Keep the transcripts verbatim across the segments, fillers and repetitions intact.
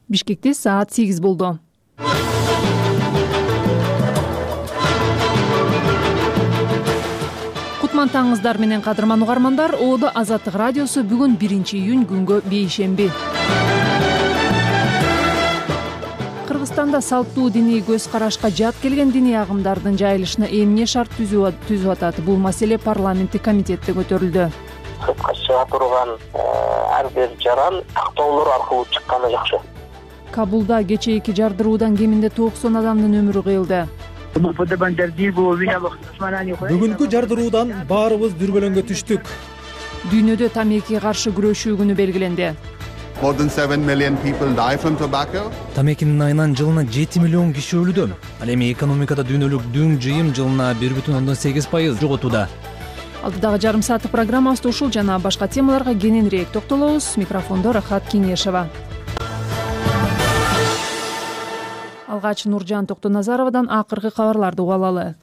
Бишкекте саат сегиз болду. Кутман таңыңыздар менен кадырман угармандар. Оодо Азаттык радиосу бүгүн биринчи июнь күнгө бейшемби. Кыргызстанда салттуу диний көз карашка жат келген диний агымдардын жайылышына эмне шарт түзүп атат? Бул маселе парламенттик комитетте көтөрүлдү. Сыртка чыга турган ар бир жаран тактоолор аркылуу чыкканы жакшы. Кабулда кечээки жардыруудан кеминде токсон адамдын өмүрү кыйылды. Бүгүнкү жардыруудан баарыбыз дүрбөлөңгө түштүк. Дүйнөдө тамекиге каршы күрөшүү күнү белгиленди. More than seven million people die from tobacco. Тамекинин айынан жылына жети миллион киши өлүүдө. Ал эми экономикада дүйнөлүк дүң жыйым жылына бир бүтүн ондон сегиз пайыз жоготууда. Алдыдагы жарым сааттык программабызда ушул жана башка темаларга кененирээк токтолобуз. Микрофондо Рахат Кеңешева. Алгач Нуржан Токтоназаровадан акыркы кабарларды угуп алалы.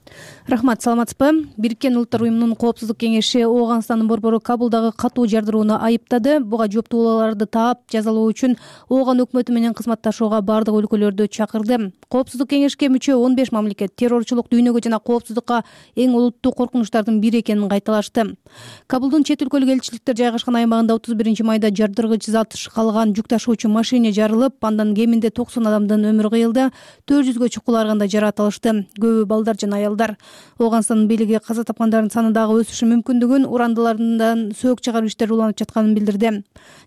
Рахмат, саламатсызбы? Бириккен Улуттар уюмунун коопсуздук кеңеши Ооганстандын борбору Кабулдагы катуу жардырууну айыптады. Буга жооптууларды таап жазалоо үчүн Ооган өкмөтү менен кызматташууга бардык өлкөлөрдү чакырды. Коопсуздук кеңешке мүчө он беш мамлекет террорчулук дүйнөгө жана коопсуздукка эң олуттуу коркунучтардын бири экенин кайталашты. Кабулдун чет өлкөлүк элчиликтер жайгашкан аймагында отуз биринчи майда жардыргыч зат калган жүк ташуучу машине жарылып, андан кеминде токсон адамдын өмүрү кыйылды. төрт жүзгө чукуларганда жаракат алышты. Көбү балдар жана аялдар. Ооганстандын бийлиги каза тапкандардын саны дагы өсүшү мүмкүндүгүн, урандылардан сөк чыгаруу иштери уланып жатканын билдирди.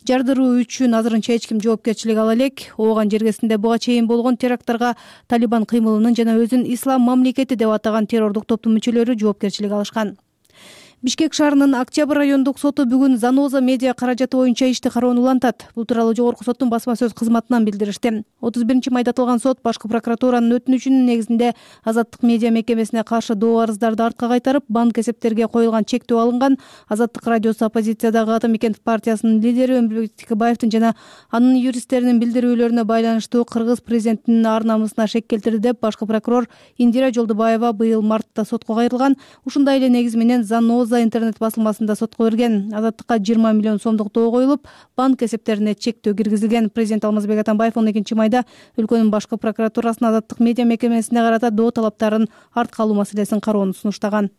Жардыруу үчүн азырынча эч ким жоопкерчилик ала элек. Ооган жергесинде буга чейин болгон теракттарга Талибан кыймылынын жана өзүн Ислам мамлекети деп атаган террордук топтун мүчөлөрү жоопкерчилик алышкан. Бишкек шаарынын Октябрь райондук соту бүгүн Заноза медиа каражаты боюнча ишти кароону улантат. Бул тууралуу жогорку соттун басма сөз кызматынан билдиришти. отуз биринчи майда аталган сот башкы прокуратуранын өтүнүчүнүн негизинде Азаттык медиа мекемесине каршы доо арыздарды артка кайтарып, банк эсептерге коюлган чектөө алынган. Азаттык радиосу оппозициядагы Ата Мекен партиясынын лидери Өмүрбек Текебаевдин жана анын юристтеринин билдирүүлөрүнө байланыштуу кыргыз президентинин ар намысына шек келтирди деп башкы прокурор Индира Жолдубаева быйыл мартта сотко кайрылган. Ушундай эле негиз менен Заноза интернет басылмасында сотко берген. Азаттыкка жыйырма миллион сомдук доо коюлуп, банк эсептерине чектөө киргизилген. Президент Алмазбек Атамбаев он экинчи майда өлкөнүн башкы прокуратурасына Азаттык медиа мекемесине карата доо талаптарын артка алуу маселесин кароону сунуштаган.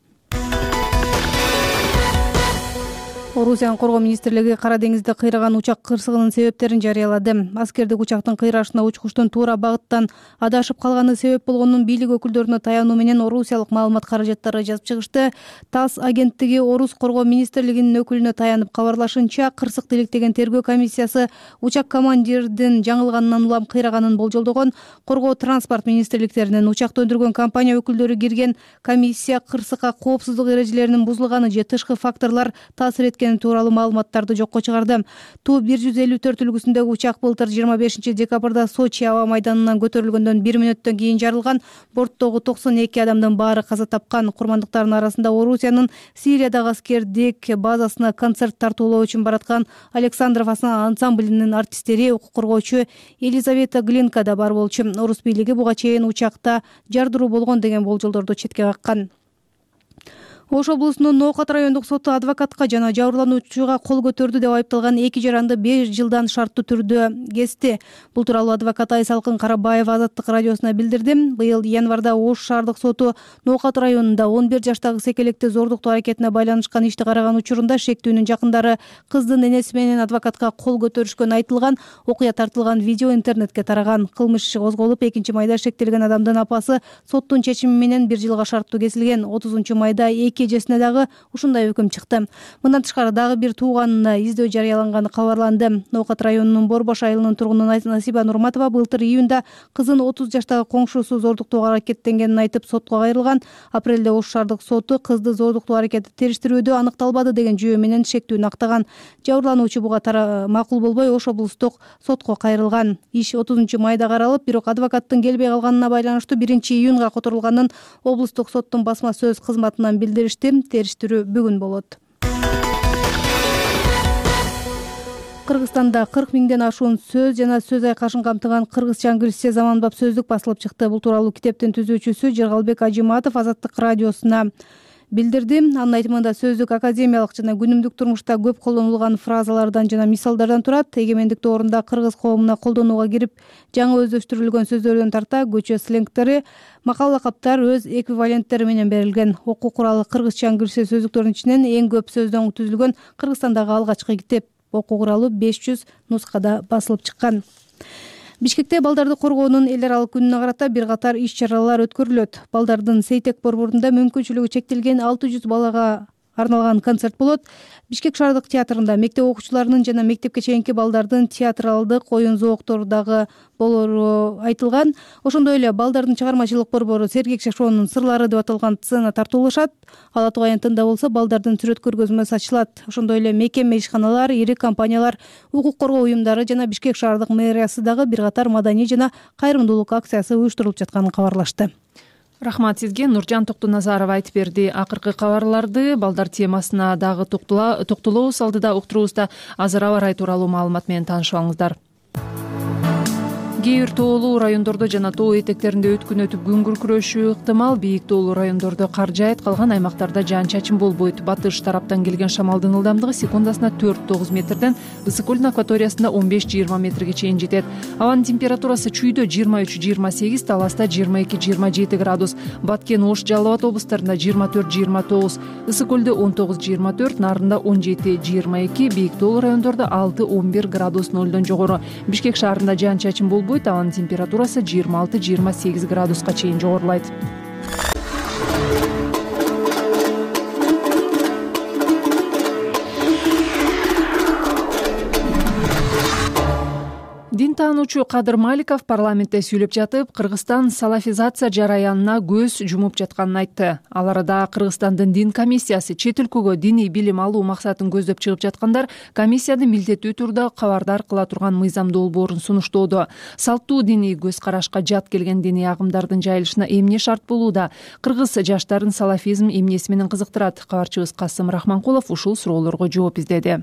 Орусиянын коргоо министрлиги Кара деңизде кыйраган учак кырсыгынын себептерин жарыялады. Аскердик учактын кыйрашына учкучтун туура багыттан адашып калганы себеп болгонун бийлик өкүлдөрүнө таянуу менен орусиялык маалымат каражаттары жазып чыгышты. ТАСС агенттиги Орус коргоо министрлигинин өкүлүнө таянып кабарлашынча, кырсыкты иликтеген тергөө комиссиясы учак командирдин жаңылганынан улам кыйраганын болжолдогон. Коргоо транспорт министрликтеринин учакты өндүргөн компания өкүлдөрү кирген комиссия кырсыкка коопсуздук эрежелеринин бузулганы же тышкы факторлор таасир эткени тууралуу маалыматтарды жокко чыгарды. Ту бир жүз элүү төрт үлгүсүндөгү учак былтыр жыйырма бешинчи декабрда Сочи аба майданынан көтөрүлгөндөн бир мүнөттөн кийин жарылган. Борттогу токсон эки адамдын баары каза тапкан. Курмандыктардын арасында Орусиянын Сириядагы аскердик базасына концерт тартуулоо үчүн бараткан Александров ансамблинин артисттери, укук коргоочу Елизавета Глинка да бар болчу. Орус бийлиги буга чейин учакта жардыруу болгон деген болжолдорду четке каккан. Ош облусунун Ноокат райондук соту адвокатка жана жабырлануучуга кол көтөрдү деп айыпталган эки жаранды беш жылдан шарттуу түрдө кести. Бул тууралуу адвокат Айсалкын Карабаева Азаттык радиосуна билдирди. Быйыл январда Ош шаардык соту Ноокат районунда он бир жаштагы секелекти зордуктоо аракетине байланышкан ишти караган учурунда шектүүнүн жакындары кыздын энеси менен адвокатка кол көтөрүшкөнү айтылган. Окуя тартылган видео интернетке тараган. Кылмыш иши козголуп, экинчи майда шектелген адамдын апасы соттун чечими менен бир жылга шарттуу кесилген. отузунчу майда эжесине дагы ушундай өкүм чыкты. Мындан тышкары дагы бир тууганына издөө жарыяланганы кабарланды. Ноокат районунун Борбош айылынын тургуну Насиба Нурматова былтыр июнда кызын отуз жаштагы коңшусу зордуктоого аракеттенгенин айтып сотко кайрылган. Апрелде Ош шаардык соту кызды зордуктоо аракети териштирүүдө аныкталбады деген жүйө менен шектүүнү актаган. Жабырлануучу буга макул болбой Ош облустук сотко кайрылган. Иш отузунчу майда каралып, бирок адвокаттын келбей калганына байланыштуу биринчи июнга которулганын облустук соттун басма сөз кызматынан билдиришти. Териштирүү бүгүн болот. Кыргызстанда кырк миңден ашуун сөз жана сөз айкашын камтыган кыргызча англисче заманбап сөздүк басылып чыкты. Бул тууралуу китептин түзүүчүсү Жыргалбек Ажиматов Азаттык радиосуна билдирди. Анын айтымында сөздүк академиялык жана күнүмдүк турмушта көп колдонулган фразалардан жана мисалдардан турат. Эгемендик доорунда кыргыз коомуна колдонууга кирип жаңы өздөштүрүлгөн сөздөрдөн тарта көчө сленгтери, макал лакаптар өз эквиваленттери менен берилген. Окуу куралы кыргызча кирсе сөздүктөрдүн ичинен эң көп сөздөн түзүлгөн Кыргызстандагы алгачкы китеп. Окуу куралы беш жүз нускада басылып чыккан. Бишкекте балдарды коргоонун эл аралык күнүнө карата бир катар иш-чаралар өткөрүлөт. Балдардын Сейтек борборунда мүмкүнчүлүгү чектелген алты жүз балага арналган концерт болот. Бишкек шаардык театрында мектеп окуучуларынын жана мектепке чейинки балдардын театралдык оюн зооктору дагы болору айтылган. Ошондой эле балдардын чыгармачылык борбору Сергек Шашоонун сырлары деп аталган сцена тартуулашат. Ала Тугай антында болсо балдардын сүрөт көргөзмөсү ачылат. Ошондой эле мекеме, ишканалар, ири компаниялар, укук коргоо уюмдары жана Бишкек шаардык мэриясы дагы бир катар маданий жана кайрымдуулук акциясы уюштурулуп жатканын кабарлашты. Рахмат сизге. Нуржан Токтуназарова айтып берди. Акыркы кабарларды балдар темасына дагы токтолобуз алдыда уктурубузда. Азыр аба ырайы тууралуу маалымат менен таанышып алыңыздар. Кээ бир тоолуу райондордо жана тоо этектеринде өткүн өтүп күн күркүрөшү ыктымал. Бийик тоолуу райондордо кар жаайт, калган аймактарда жаан-чачын болбойт. Батыш тараптан келген шамалдын ылдамдыгы секундасына төрт тогуз метрден, ысык көлдүн акваториясында он беш жыйырма метрге чейин жетет. Абанын температурасы чүйдө жыйырма үч жыйырма сегиз, таласта жыйырма эки жыйырма жети градус, Баткен, Ош, Жалал Абад облустарында жыйырма төрт жыйырма тогуз, ысык көлдө он тогуз жыйырма төрт, Нарында он жети жыйырма эки, бийик тоолуу райондордо алты он бир градус нөлдөн жогору. Бишкек шаарында жаан-чачын болбойт. Абанын температурасы жыйырма алты жыйырма сегиз градуска чейин жогорулайт. Дин таануучу Кадыр Маликов парламентте сүйлөп жатып, Кыргызстан салафизация жараянына көз жумуп жатканын айтты. Ал арада Кыргызстандын дин комиссиясы чет өлкөгө диний билим алуу максатын көздөп чыгып жаткандар комиссияны милдеттүү түрдө кабардар кыла турган мыйзам долбоорун сунуштоодо. Салттуу диний көз карашка жат келген диний агымдардын жайылышына эмне шарт болууда? Кыргыз жаштарын салафизм эмнеси менен кызыктырат? Кабарчыбыз Касым Рахманкулов ушул суроолорго жооп издеди.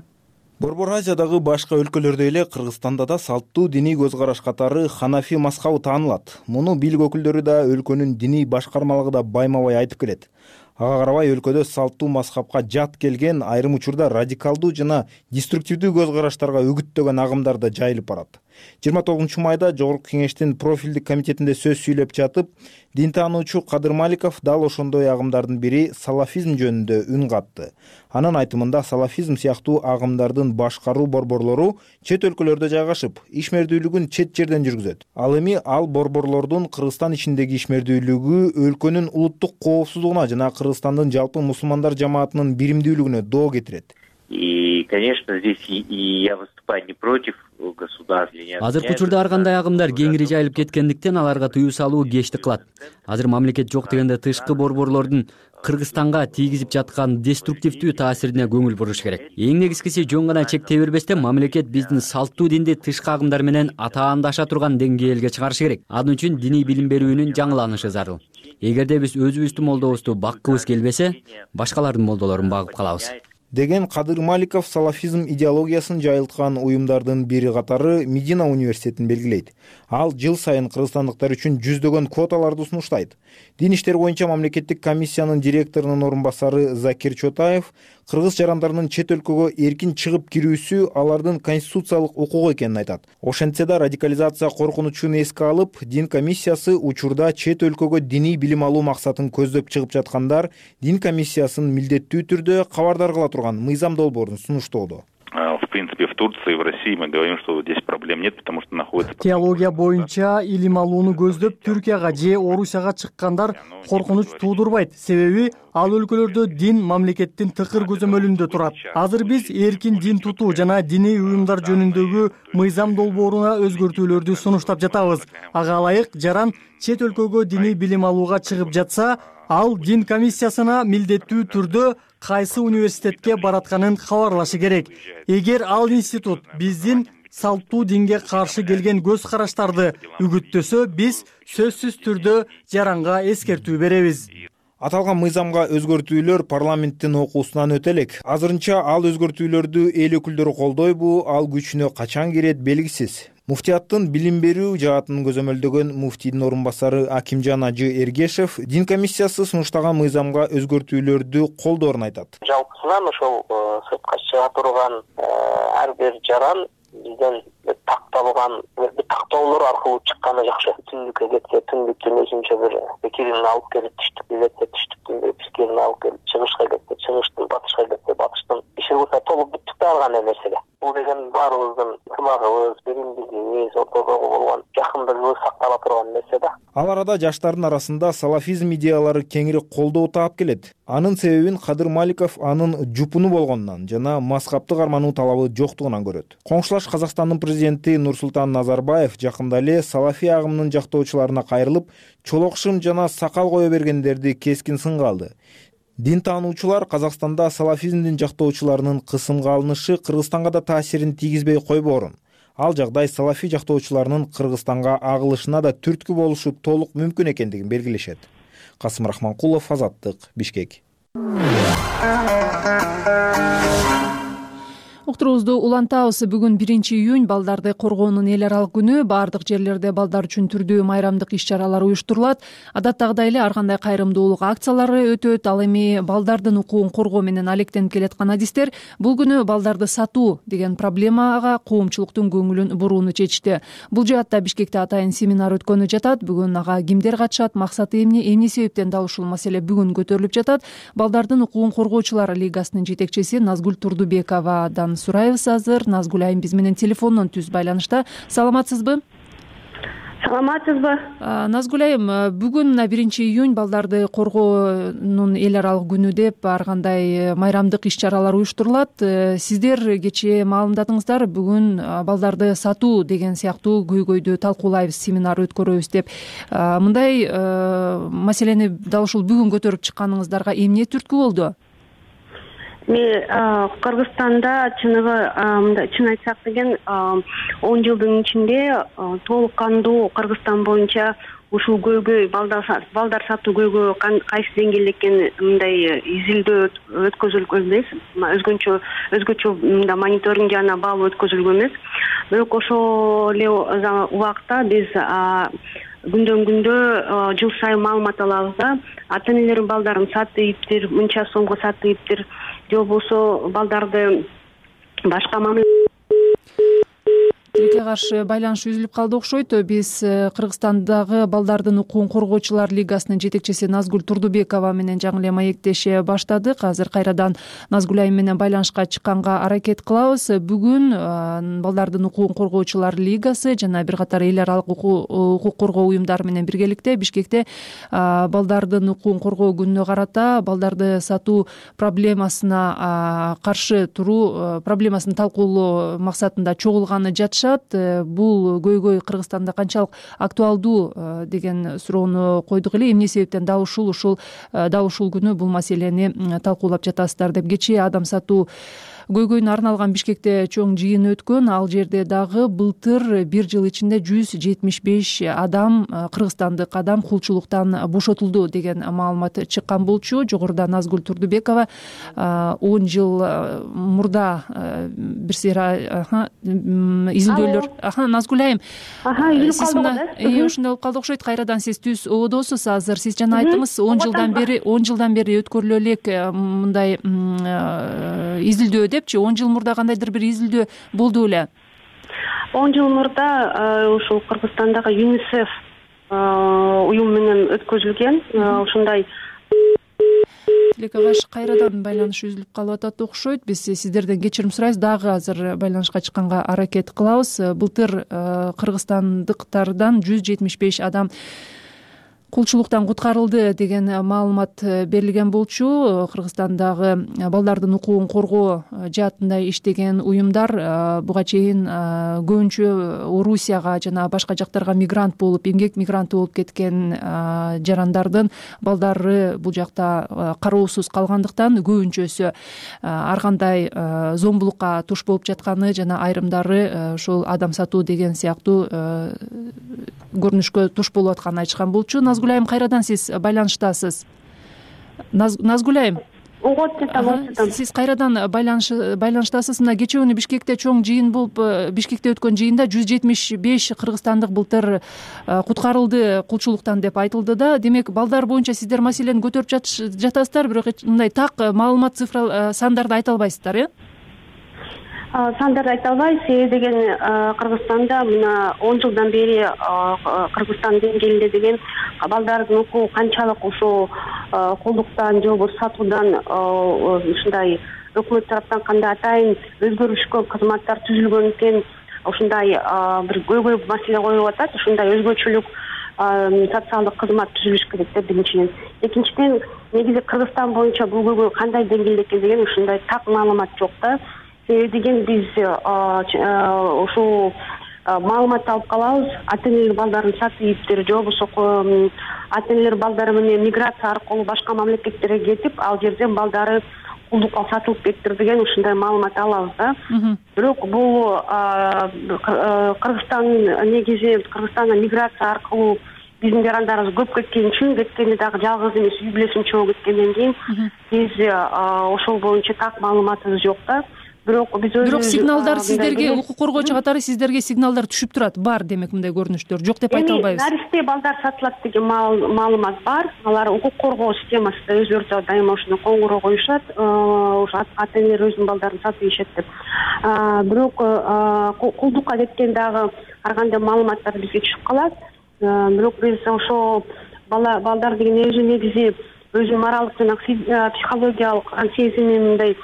Борбор Азиядагы башка өлкөлөрдөй эле Кыргызстанда да салттуу диний көз караш катары ханафи мазхабы таанылат. Муну бийлик өкүлдөрү да өлкөнүн диний башкармалыгы да байма-бай айтып келет. Ага карабай өлкөдө салттуу мазхабка жат келген, айрым учурда радикалдуу жана деструктивдүү көз караштарга үгүттөгөн агымдар да жайылып барат. жыйырма тогузунчу майда Жогорку Кеңештин профилдик комитетинде сөз сүйлөп жатып, дин таануучу Кадыр Маликов дал ошондой агымдардын бири салафизм жөнүндө үн катты. Анын айтымында салафизм сыяктуу агымдардын башкаруу борборлору чет өлкөлөрдө жайгашып, ишмердүүлүгүн чет жерден жүргүзөт. Ал эми ал борборлордун Кыргызстан ичиндеги ишмердүүлүгү өлкөнүн улуттук коопсуздугуна жана Кыргызстандын жалпы мусулмандар жамаатынын биримдүүлүгүнө доо кетирет. И, конечно, здесь и я выступаю не против государства. Азыркы учурда ар кандай агымдар кеңири жайылып кеткендиктен аларга тыюу салуу кечти кылат. Азыр мамлекет жок дегенде тышкы борборлордун Кыргызстанга тийгизип жаткан деструктивдүү таасирине көңүл буруш керек. Эң негизгиси жөн гана чектей бербестен мамлекет биздин салттуу динди тышкы агымдар менен атаандаша турган деңгээлге чыгарышы керек. Анын үчүн диний билим берүүнүн жаңыланышы зарыл. Эгерде биз өзүбүздүн молдобузду баккыбыз келбесе, башкалардын молдолорун багып калабыз деген Кадыр Маликов салафизм идеологиясын жайылткан уюмдардын бири катары Медина университетин белгилейт. Ал жыл сайын кыргызстандыктар үчүн жүздөгөн квоталарды сунуштайт. Дин иштер боюнча мамлекеттик комиссиянын директорунун орун басары Закир Чотаев кыргыз жарандарынын чет өлкөгө эркин чыгып кирүүсү алардын конституциялык укугу экенин айтат. Ошентсе да радикализация коркунучун эске алып, дин комиссиясы учурда чет өлкөгө диний билим алуу максатын көздөп чыгып жаткандар дин комиссиясын милдеттүү түрдө кабардар кыла турган мыйзам долбоорун сунуштоодо. В принципе, в Турции и в России мы говорим, что здесь проблем нет, потому что находится... Теология боюнча илим алууну көздөп Түркияга же Орусияга чыккандар коркунуч туудурбайт. Себеби ал өлкөлөрдө дин мамлекеттин тыкыр көзөмөлүндө турат. Азыр биз эркин дин тутуу жана диний уюмдар жөнүндөгү мыйзам долбооруна өзгөртүүлөрдү сунуштап жатабыз. Ага ылайык жаран чет өлкөгө диний билим алууга чыгып жатса, ал дин комиссиясына милдеттүү түрдө кайсы университетке баратканын кабарлашы керек. Эгер ал институт биздин салттуу динге каршы келген көз караштарды үгүттөсө, биз сөзсүз түрдө жаранга эскертүү беребиз. Аталган мыйзамга өзгөртүүлөр парламенттин окуусунан өтө элек. Азырынча ал өзгөртүүлөрдү эл өкүлдөрү колдойбу, ал күчүнө качан кирет белгисиз. Муфтияттын билим берүү жаатын көзөмөлдөгөн муфтийдин орун басары Акимжан Ажы Эргешев дин комиссиясы сунуштаган мыйзамга өзгөртүүлөрдү колдоорун айтат. Жалпысынан ошол сыртка чыга турган ар бир жаран бизден такталган тактоолор аркылуу чыкканы жакшы. Түндүккө кетсе түндүктүн өзүнчө бир пикирин алып келип, түштүккө кетсе түштүктүн бир пикирин алып келип, чыгышка кетсе чыгыштын, батышка кетсе батыштын иши кылса толук бүттүк дагы нерселер. Бул деген баарыбыздын ынтымагыбыз, биримдигибиз, ортодогу болгон жакындыгыбыз сактала турган нерсе да. Ал арада жаштардын арасында салафизм идеялары кеңири колдоо таап келет. Анын себебин Кадыр Маликов анын жупуну болгонунан жана мазхабты кармануу талабы жоктугунан көрөт. Коңшулаш Казакстандын президенти Нурсултан Назарбаев жакында эле салафи агымынын жактоочуларына кайрылып, чолок шым жана сакал кое бергендерди кескин сынга алды. Дин таануучулар Казакстанда салафизмдин жактоочуларынын кысымга алынышы Кыргызстанга да таасирин тийгизбей койбоорун. Ал жагдай салафи жактоочуларынын Кыргызстанга агылышына да түрткү болушу толук мүмкүн экендигин белгилешет. Касым Рахманкулов, Азаттык, Бишкек. Уктуруубузду улантабыз. Бүгүн биринчи июнь балдарды коргоонун эл аралык күнү. Баардык жерлерде балдар үчүн түрдүү майрамдык иш-чаралар уюштурулат. Адаттагыдай эле ар кандай кайрымдуулук акциялары өтөт. Ал эми балдардын укугун коргоо менен алектенип келаткан адистер бул күнү балдарды сатуу деген проблемага коомчулуктун көңүлүн бурууну чечти. Бул жаатта Бишкекте атайын семинар өткөнү жатат. Бүгүн ага кимдер катышат, максаты эмне, эмне себептен дал ушул маселе бүгүн көтөрүлүп жатат? Балдардын укугун коргоочулар лигасынын жетекчиси Назгүл Турдубековадан сурайбыз азыр. Назгүл айым биз менен телефондон түз байланышта. Саламатсызбы? Саламатсызбы? Назгүл айым, бүгүн мына биринчи июнь балдарды коргоонун эл аралык күнү деп ар кандай майрамдык иш-чаралар уюштурулат. Сиздер кечээ маалымдадыңыздар, бүгүн балдарды сатуу деген сыяктуу көйгөйдү талкуулайбыз, семинар өткөрөбүз деп. Мындай маселени дал ушул бүгүн көтөрүп чыкканыңыздарга эмне түрткү болду? Мен Кыргызстанда чыныгы мындай чын айтсак деген он жылдын ичинде толук кандуу Кыргызстан боюнча ушул көйгөй балдар сатуу көйгөй кайсы деңгээлде экенин мындай изилдөө өткөзүлгөн эмес, өзгөчө өзгөчө мындай мониторинг жана баалоо өткөзүлгөн эмес. Бирок ошол эле убакта биз күндөн күндө жыл сайын маалымат алабыз да. Ата энелер балдарын сатыптыр, мынча сомго сатыптыр, же болбосо балдарды башка мамиле тилекке каршы байланыш үзүлүп калды окшойт. Биз Кыргызстандагы балдардын укугун коргоочулар лигасынын жетекчиси Назгүл Турдубекова менен жаңы эле маектеше баштадык. Азыр кайрадан Назгүл айым менен байланышка чыкканга аракет кылабыз. Бүгүн балдардын укугун коргоочулар лигасы жана бир катар эл аралык укук коргоо уюмдары менен биргеликте Бишкекте балдардын укугун коргоо күнүнө карата балдарды сатуу проблемасына каршы туруу проблемасын талкуулоо максатында чогулганы жатышат. Бул көйгөй Кыргызстанда канчалык актуалдуу деген суроону койдук эле. Эмне себептен дал ушул ушул дал ушул күнү бул маселени талкуулап жатасыздар деп. Кечээ адам сатуу көйгөйүнө арналган Бишкекте чоң жыйын өткөн. Ал жерде дагы былтыр бир жыл ичинде жүз жетимиш беш адам, кыргызстандык адам кулчулуктан бошотулду деген маалымат чыккан болчу. Жогоруда Назгүл Турдубекова он жыл мурда бир сыйра изилдөөлөр. Аха, Назгүл айым. Сиз мына ошондой болуп калды окшойт. Кайрадан сиз түз ободосуз азыр. Сиз жана айттыңыз он жылдан бери он жылдан бери өткөрүлө элек мындай изилдөө депчи. он жыл мурда кандайдыр бир изилдөө болду эле? он жыл мурда ушул Кыргызстандагы ЮНИСЕФ уюм менен өткөзүлгөн. Ушундай тилекке каршы кайрадан байланыш үзүлүп калып атат окшойт. Биз сиздерден кечирим сурайбыз. Дагы азыр байланышка чыкканга аракет кылабыз. Былтыр кыргызстандыктардан жүз жетимиш беш адам кулчулуктан куткарылды деген маалымат берилген болчу. Кыргызстандагы балдардын укугун коргоо жаатында иштеген уюмдар буга чейин көбүнчө Орусияга жана башка жактарга мигрант болуп, эмгек мигранты болуп кеткен жарандардын балдары бул жакта кароосуз калгандыктан көбүнчөсү ар кандай зомбулукка туш болуп жатканы жана айрымдары ошол адам сатуу деген сыяктуу көрүнүшкө туш болуп атканын айтышкан болчу. Назгүл айым, кайрадан сиз байланыштасыз. Назгүл айым. угуп атам. Сиз кайрадан байланыш байланыштасыз. Мына кечээ күнү Бишкекте чоң жыйын болуп, Бишкекте өткөн жыйында жүз жетимиш беш кыргызстандык былтыр куткарылды кулчулуктан деп айтылды да. Демек, балдар боюнча сиздер маселени көтөрүп жатасыздар, бирок мындай так маалымат, цифра, сандарды айта албайсыздар, э? Сандарды айта албайбыз. Себеби деген Кыргызстанда мына он жылдан бери Кыргызстан деңгээлинде деген балдардын укугу канчалык ушул кулдуктан же болбосо сатуудан ушундай өкмөт тараптан кандай атайын өзгөрүшкө кызматтар түзүлгөн экен, ушундай бир көйгөй маселе коюлуп атат. Ушундай өзгөчөлүк социалдык кызмат түзүлүш керек деп биринчиден. Экинчиден, негизи Кыргызстан боюнча бул көйгөй кандай деңгээлде экен деген ушундай так маалымат жок да. Себеби деген биз ушул маалымат алып калабыз. Ата-энелер балдарын сатып же болбосо ата-энелер балдары менен миграция аркылуу башка мамлекеттерге кетип, ал жерден балдары кулдукка сатылып кетиптир деген ушундай маалымат алабыз да. Бирок бул Кыргызстан негизи Кыргызстанга миграция аркылуу биздин жарандарыбыз көп кеткен үчүн, кеткени дагы жалгыз эмес, үй бүлөсүн чогуу кеткенден кийин биз ошол боюнча так маалыматыбыз жок да. Бирок биз Бирок сигналдар сиздерге, укук коргоочу катары сиздерге сигналдар түшүп турат. Бар, демек, мындай көрүнүштөр. Жок деп айта албайбыз. Наристе балдар сатылат деген маалымат бар. Алар укук коргоо системасында өздөрү дайыма ушуну коңгуроо коюшат. Ошо ата-энелер өзүнүн балдарын сатып ийишет деп. Бирок кулдукка кеткен дагы ар кандай маалыматтар бизге түшүп калат. Бирок биз ошо балдар деген өзү негизи өзүнүн моралдык жана психологиялык сезими мындай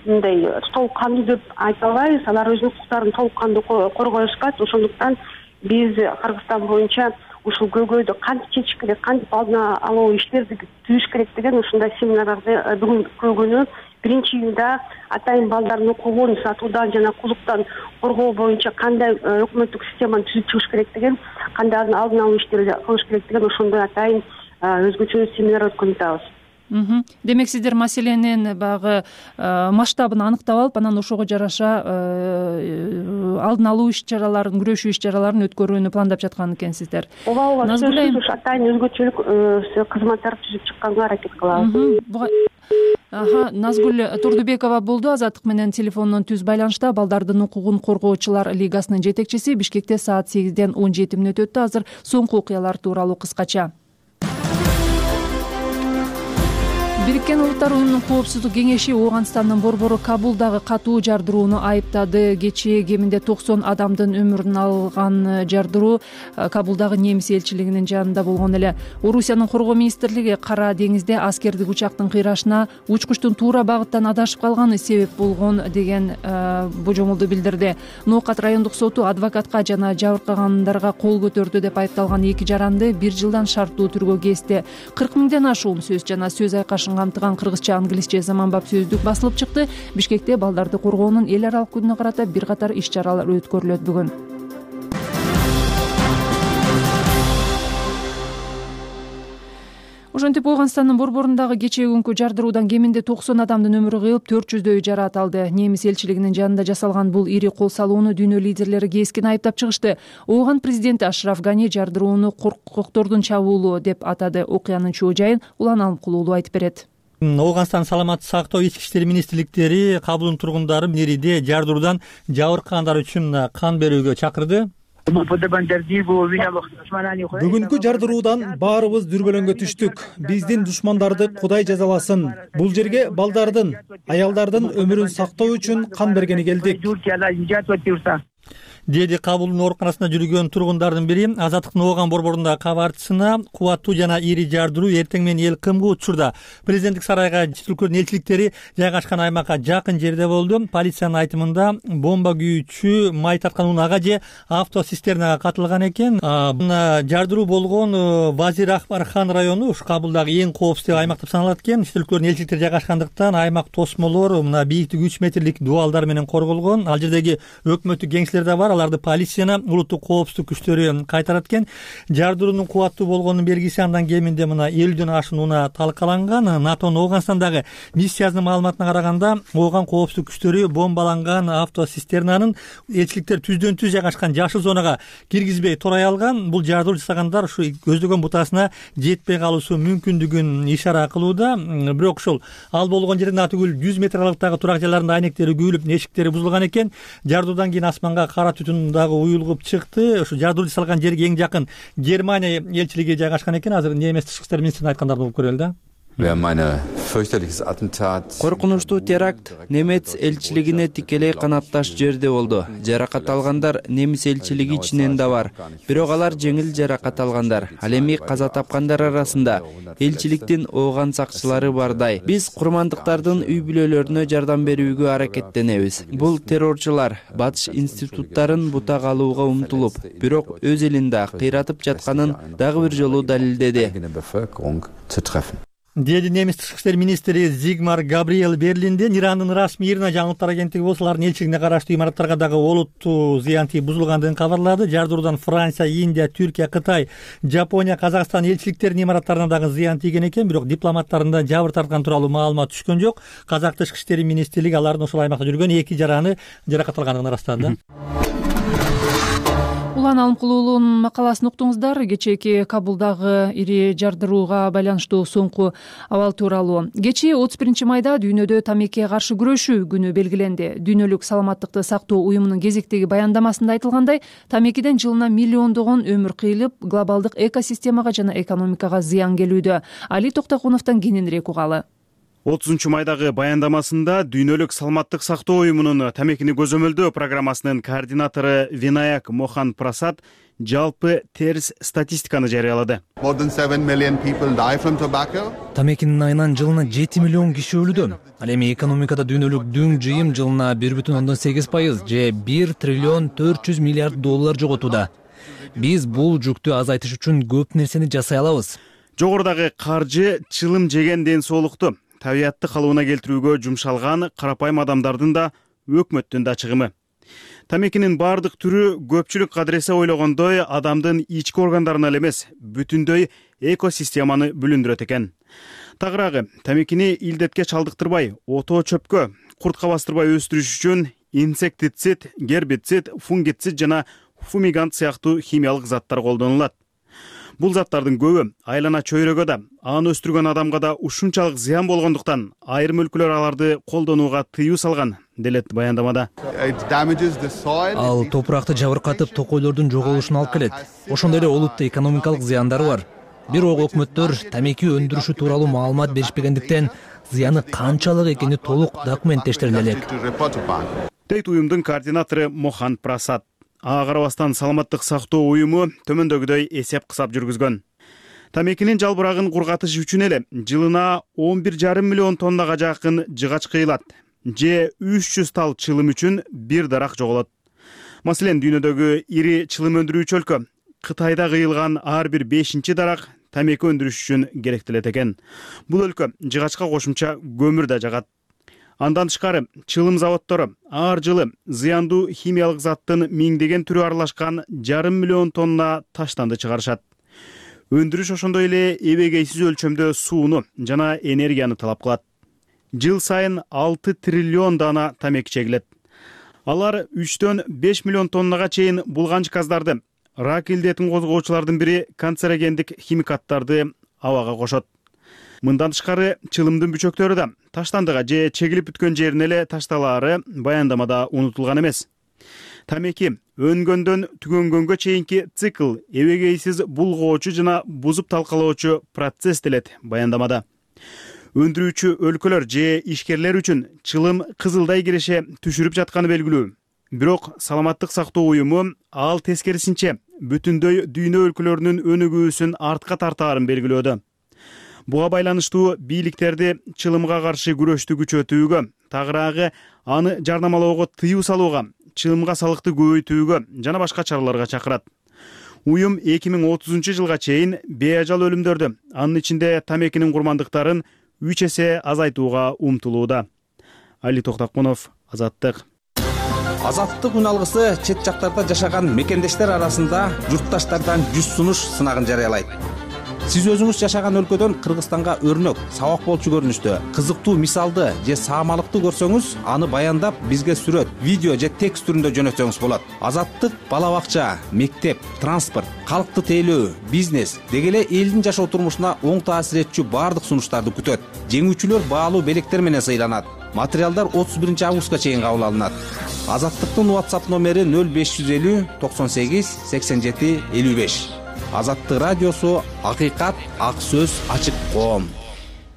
мындай толук кандуу деп айта албайбыз. Алар өзүнүн укуктарын толук кандуу коргоюшпайт. Ошондуктан биз Кыргызстан боюнча ушул көйгөйдү кантип чечиш керек, кантип алдын алуу иштерди түзүш керек деген ушундай семинарларды бүгүнкү күнү биринчи июнда атайын балдардын укугун сатуудан жана кулдуктан коргоо боюнча кандай өкмөттүк системаны түзүп чыгыш керек деген, кандай алдын алуу иштерди кылыш керек деген ошондой атайын өзгөчө семинар өткөрүп атабыз. Демек, сиздер маселенин багы масштабын анықтап алып, анан ошого жараша алдын алуу иш-чараларын, күрөшүү иш-чараларын өткөрүүнү пландап жаткан экенсиздер. Ооба, ооба. Назгүл атайын өзгөчөлүк кызматтар түзүп чыкканга аракет кылабыз. Аха, Назгүл Турдубекова болду, Азаттык менен телефондон түз байланышта. Балдардын укугун коргоочулар лигасынын жетекчиси. Бишкекте саат сегизден он жети мүнөт өттү. Азыр соңку окуялар тууралуу кыскача. Бириккен Улуттар Уюмунун Коопсуздук кеңеши Ооганстандын борбору Кабулдагы катуу жардырууну айыптады. Кечээ кеминде токсон адамдын өмүрүн алган жардыруу Кабулдагы немис элчилигинин жанында болгон эле. Орусиянын коргоо министрлиги Кара деңизде аскердик учактын кыйрашына учкучтун туура багыттан адашып калганы себеп болгон деген божомолду билдирди. Ноокат райондук соту адвокатка жана жабыркагандарга кол көтөрдү деп айыпталган эки жаранды бир жылдан шарттуу түргө кести. кырк миңден ашуун сөз жана сөз айкашын камтыган кыргызча, англисче заманбап сөздүк басылып чыкты. Бишкекте балдарды коргоонун эл аралык күнүнө карата бир катар иш-чаралар өткөрүлөт бүгүн. Ошентип Ооганстандын борборундагы кечээ күнкү жардыруудан кеминде токсон адамдын өмүрү кыйылып, төрт жүздөйү жараат алды. Немис элчилигинин жанында жасалган бул ири кол салууну дүйнө лидерлери кескин айыптап чыгышты. Ооган президенти Ашраф Гани жардырууну коркоктордун чабуулу деп атады. Окуянын чоо жайын Улан Алымкулуулу айтып берет. Ооганстан саламаттык сактоо ички иштер министрликтери Кабулдун тургундары Нериде жардыруудан жабыркагандар үчүн кан берүүгө чакырды. Бүгүнкү жардыруудан баарыбыз дүрбөлөңгө түштүк. Биздин душмандарды Кудай жазаласын. Бул жерге балдардын, аялдардын өмүрүн сактоо үчүн кан бергени келдик. Деди Кабулдун ооруканасында жүргөн тургундардын бири. Азаттыктын Ооган борборундагы кабарчысына кубаттуу жана ири жардыруу эртең менен эл кымга учурда. Президенттик сарайга чет өлкөлөрдүн элчиликтери жайгашкан аймакка жакын жерде болду. Полициянын айтымында бомба күйүүчү май тарткан унага же автоцистернага катылган экен. Жардыруу болгон Вазир Акбархан району ушу Кабулдагы эң коопсуз аймак деп саналат экен. Чет өлкөлөрдүн элчиликтери жайгашкандыктан аймак тосмолор мына бийиктиги үч метрлик дубалдар менен корголгон. Ал жердеги өкмөттүк кеңселер да бар. аларды полиция жана улуттук коопсуздук күчтөрү кайтарат экен. Жардыруунун кубаттуу болгонунун белгиси андан кеминде мына элүүдөн ашуун унаа талкаланган. натонун Ооганстандагы миссиясынын маалыматына караганда, Ооган коопсуздук күчтөрү бомбаланган автоцистернанын элчиликтер түздөн түз жайгашкан жашыл зонага киргизбей турай алган. Бул жардыруу жасагандар ушу көздөгөн бутасына жетпей калуусу мүмкүндүгүн ишара кылууда. Бирок ошол ал болгон жерден атүгүл жүз метр аралыктагы турак жайларында айнектери күйүлүп, эшиктери бузулган экен. Жардыруудан кийин асманга кара түтүн дагы уюлуп чыкты. Ушу жардыруу жасалган жерге эң жакын Германия элчилиги жайгашкан экен. Азыр немис тышкы иштер министринин айткандарын угуп көрөлү да. Коркунучтуу теракт немец элчилигине тикелей канатташ жерде болду. Жаракат алгандар немис элчилиги ичинен да бар. Бирок алар жеңил жаракат алгандар. Ал эми каза тапкандар арасында элчиликтин Ооган сакчылары бардай. Биз курмандыктардын үй бүлөлөрүнө жардам берүүгө аракеттенебиз. Бул террорчулар батыш институттарын бута калууга умтулуп, бирок өз элинде кыйратып жатканын дагы бир жолу далилдеди. Деди немис тышкы иштер министри Зигмар Габриэл Берлинде. Ирандын расмий ИРНА жаңылыктар агенттиги болсо алардын элчилигине караштуу имараттарга дагы олуттуу зыян тийип бузулгандыгын кабарлады. Жардыруудан Франция, Индия, Түркия, Кытай, Жапония, Казакстан элчиликтеринин имараттарына дагы зыян тийген экен, бирок дипломаттарында жабыр тарткан тууралуу маалымат түшкөн жок. Казак тышкы иштери министрлиги алардын ошол аймакта жүргөн эки жараны жаракат алгандыгын ырастады. Улан Алымкулуулунун макаласын уктуңуздар. Кечээки Кабулдагы ири жардырууга байланыштуу соңку абал тууралуу. Кечээ отуз биринчи майда дүйнөдө тамекиге каршы күрөшүү күнү белгиленди. Дүйнөлүк саламаттыкты сактоо уюмунун кезектеги баяндамасында айтылгандай, тамекиден жылына миллиондогон өмүр кыйылып, глобалдык экосистемага жана экономикага зыян келүүдө. Али Токтокуновдон кененирээк угалы. отузунчу майдагы баяндамасында Дүйнөлүк саламаттык сактоо уюмунун тамекини көзөмөлдөө программасынын координатору Винаяк Мохан Прасад жалпы терс статистиканы жарыялады. Тамекинин айынан жылына жети миллион киши өлүүдө. Ал эми экономикада дүйнөлүк дүң жыйым жылына бир бүтүн ондон сегиз пайыз же бир триллион төрт жүз миллиард доллар жоготууда. Биз бул жүктү азайтыш үчүн көп нерсени жасай алабыз. Жогорудагы каржы чылым жеген ден соолукту, табиятты калыбына келтирүүгө жумшалган карапайым адамдардын да, өкмөттүн да чыгымы. Тамекинин бардык түрү көпчүлүк кадыресе ойлогондой адамдын ички органдарына эле эмес, бүтүндөй экосистеманы бүлүндүрөт экен. Тагыраагы, тамекини илдетке чалдыктырбай, отоо чөпкө, куртка бастырбай өстүрүш үчүн инсектицид, гербицид, фунгицид жана фумигант сыяктуу химиялык заттар колдонулат. Бул заттардын көбү айлана чөйрөгө да, аны өстүргөн адамга да ушунчалык зыян болгондуктан айрым өлкөлөр аларды колдонууга тыюу салган, делет баяндамада. Ал топуракты жабыркатып, токойлордун жоголушуна алып келет. Ошондой эле олуттуу экономикалык зыяндары бар. Бирок өкмөттөр тамеки өндүрүшү тууралуу маалымат беришпегендиктен зыяны канчалык экени толук документтештириле элек. Дейт уюмдун координатору Мохан Прасад. Ага карабастан саламаттык сактоо уюму төмөндөгүдөй эсеп кысап жүргүзгөн. Тамекинин жалбырагын кургатыш үчүн эле жылына он бир жарым миллион тоннага жакын жыгач кыйылат, же үч жүз тал чылым үчүн бир дарак жоголот. Маселен, дүйнөдөгү ири чылым өндүрүүчү өлкө Кытайда кыйылган ар бир бешинчи дарак тамеки өндүрүш үчүн керектелет экен. Бул өлкө жыгачка кошумча көмүр да жагат. Андан тышкары чылым заводдору ар жылы зыяндуу химиялык заттын миңдеген түрү аралашкан жарым миллион тонна таштанды чыгарышат. Өндүрүш ошондой эле эбегейсиз өлчөмдө сууну жана энергияны талап кылат. Жыл сайын алты триллион дана тамеки чегилет. Алар үчтөн беш миллион тоннага чейин булганч газдарды, рак илдетин козгоочулардын бири канцерогендик химикаттарды абага кошот. Мындан тышкары чылымдын бүчөктөрү да таштандыга же чегилип бүткөн жерине эле ташталаары баяндамада унутулган эмес. Тамеки өнгөндөн түгөнгөнгө чейинки цикл эбегейсиз булгоочу жана бузуп талкалоочу процесс делет баяндамада. Өндүрүүчү өлкөлөр же ишкерлер үчүн чылым кызылдай киреше түшүрүп жатканы белгилүү. Бирок саламаттык сактоо уюму ал тескерисинче бүтүндөй дүйнө өлкөлөрүнүн өнүгүүсүн артка тартаарын белгилөөдө. Буга байланыштуу бийликтерди чылымга каршы күрөштү күчөтүүгө, тагыраагы аны жарнамалоого тыюу салууга, чылымга салыкты көбөйтүүгө жана башка чараларга чакырат. Уюм эки миң отузунчу жылга чейин беажал өлүмдөрдү, анын ичинде тамекинин курмандыктарын үч эсе азайтууга умтулууда. Али Токтокунов, Азаттык. Азаттык үн алгысы чет жактарда жашаган мекендештер арасында журтташтардан жүз сунуш сынагын жарыялайт. Сиз өзүңүз жашаган өлкөдөн Кыргызстанга өрнөк, сабак болчу көрүнүштө, кызыктуу мисалды же саамалыкты көрсөңүз, аны баяндап бизге сүрөт, видео же текст түрүндө жөнөтсөңүз болот. Азаттык бала бакча, мектеп, транспорт, калкты тейлөө, бизнес деги эле элдин жашоо турмушуна оң таасир этчү баардык сунуштарды күтөт. Жеңүүчүлөр баалуу белектер менен сыйланат. Материалдар отуз биринчи августка чейин кабыл алынат. Азаттыктын WhatsApp номери нөл беш жүз элүү токсон сегиз сексен жети элүү беш. Азаттык радиосу, акыйкат, ак сөз, ачык коом.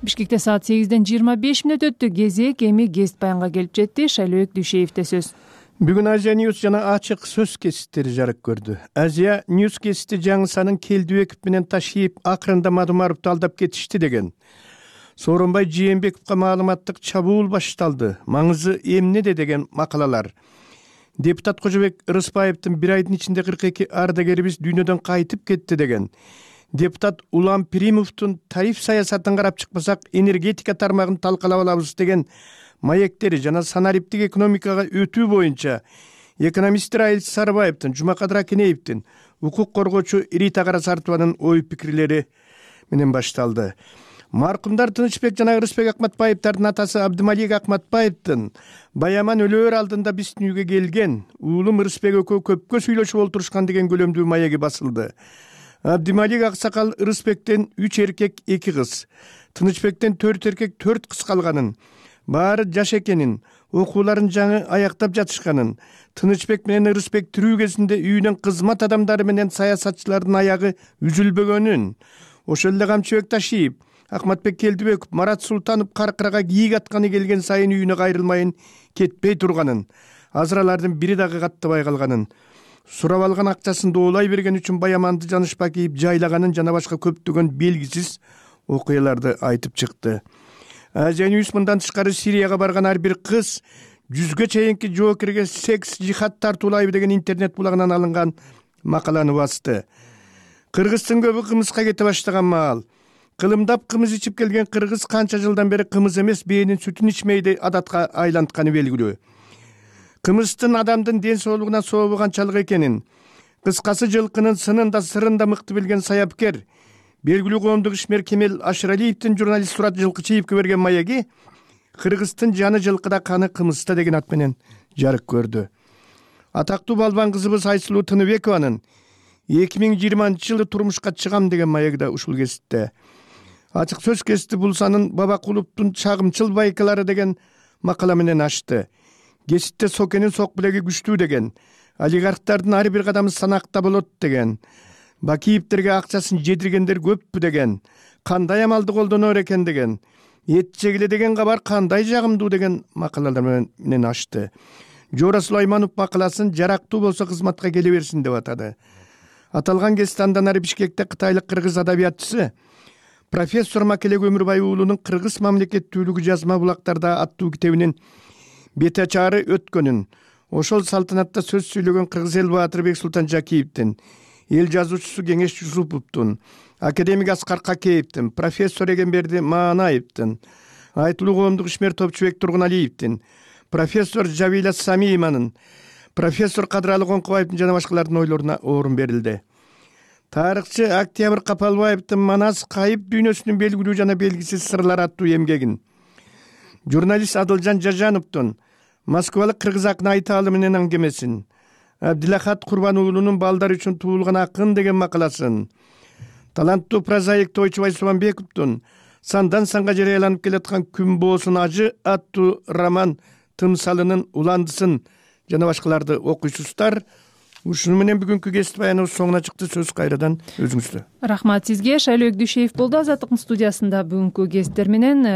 Бишкекте саат сегизден жыйырма беш мүнөт өттү. Кезек эми гест баянга келип жетти. Шайлообек Дүйшеевде сөз. Бүгүн Азия Ньюс жана ачык сөз кесиптери жарык көрдү. Азия Ньюс кесипти жаңы санын Келдибеков менен Ташиев акырында Мадумаровду алдап кетишти деген. Сооронбай Жээнбековго маалыматтык чабуул башталды. Маңызы эмнеде деген макалалар. Депутат Кожобек Рыспаевдин бир айдын ичинде кырк эки ардагерибиз дүйнөдөн кайтып кетти деген. Депутат Улам Пиримовдун тариф саясатын карап чыкпасак энергетика тармагын талкалап алабыз деген маектери жана санариптик экономикага өтүү боюнча экономисттер Айыл Сарыбаевдин, Жумакадыр Акенеевдин, укук коргоочу Рита Карасартованын ой пикирлери менен башталды. Маркумдар Тынычбек жана Ырысбек Акматбаевдардын атасы Абдымалик Акматбаевдин баяман өлөөр алдында биздин үйгө келген, уулум Ырысбек экөө көпкө сүйлөшүп олтурушкан деген көлөмдүү маеги басылды. Абдымалик аксакал Ырысбектен үч эркек эки кыз, Тынычбектен төрт эркек төрт кыз калганын, баары жаш экенин, окууларын жаңы аяктап жатышканын, Тынычбек менен Ырысбек тирүү кезинде үйүнөн кызмат адамдары менен саясатчылардын аягы үзүлбөгөнүн, ошол эле Камчыбек Ташиев, Акматбек Келдибеков, Марат Султанов каркырага кийик атканы келген сайын үйүнө кайрылмайын кетпей турганын, азыр алардын бири дагы каттабай калганын, сурап алган акчасын доолай берген үчүн баяманды жанышпа кийип жайлаганын жана башка көптөгөн белгисиз окуяларды айтып чыкты. Азия Ньюс мындан тышкары Сирияга барган ар бир кыз жүзгө чейинки жоокерге секс жихад тартуулайбы деген интернет булагынан алынган макаланы басты. Кыргыздын көбү кымызга кете баштаган маал. Кылымдап кымыз ичип келген кыргыз канча жылдан бери кымыз эмес бээнин сүтүн ичмейди адатка айлантканы белгилүү. Кымыздын адамдын ден соолугуна сообу канчалык экенин, кыскасы жылкынын сынын да сырын да мыкты билген саяпкер, белгилүү коомдук ишмер Кемел Ашыралиевдин журналист Сурат Жылкычиевге берген маеги Кыргыздын жаны жылкыда, каны кымызда деген ат менен жарык көрдү. Атактуу балбан кызыбыз Айсулуу Тыныбекованын эки миң жыйырманчы жылы турмушка чыгам деген маеги да ушул кесипте. Ачык сөз кести Булсанын Бабакуловдун чагымчыл байкалары деген макала менен ачты. Кесипте Сокенин сок билеги күчтүү деген, олигархтардын ар бир кадамы санакта болот деген, Бакиевдерге акчасын жедиргендер көппү деген, кандай амалды колдонор экен деген, эт жегиле деген кабар кандай жагымдуу деген макалалар менен ачты. Жора Сулайманов макаласын жарактуу болсо кызматка келе берсин деп атады. Аталган кесипти андан ары Бишкекте кытайлык кыргыз адабиятчысы профессор Макелек Өмүрбай уулунун Кыргыз мамлекеттүүлүгү жазма булактарда аттуу китебинин бет ачары өткөнүн, ошол салтанатта сөз сүйлөгөн Кыргыз эл баатыры Бексултан Жакиевдин, эл жазуучусу Кеңеш Жусуповдун, академик Аскар Какеевдин, профессор Эгемберди Маанаевдин, айтылуу коомдук ишмер Топчубек Тургуналиевдин, профессор Жавила Самииманын, профессор Кадыралы Коңкубаевдин жана башкалардын ойлоруна орун берилди. Тарыхчы Октябрь Капалбаевдин Манас кайып дүйнөсүнүн белгилүү жана белгисиз сырлары аттуу эмгегин, журналист Адылжан Жажановдун Москвалык кыргыз акыны Айталы менен аңгемесин, Абдилахат Курбан уулунун Балдар үчүн туулган акын деген макаласын, таланттуу прозаик Тойчубай Субанбековдун Сандан санга жарыяланып келаткан Күн боосун ажы аттуу роман тымсалынын уландысын жана башкаларды окуйсуздар. Ушуну менен бүгүнкү кесип баяныбыз соңуна чыкты. Сөз кайрадан өзүңүздө. Рахмат сизге. Шайлообек Дүйшеев болду Азаттыктын студиясында бүгүнкү кесиптер менен.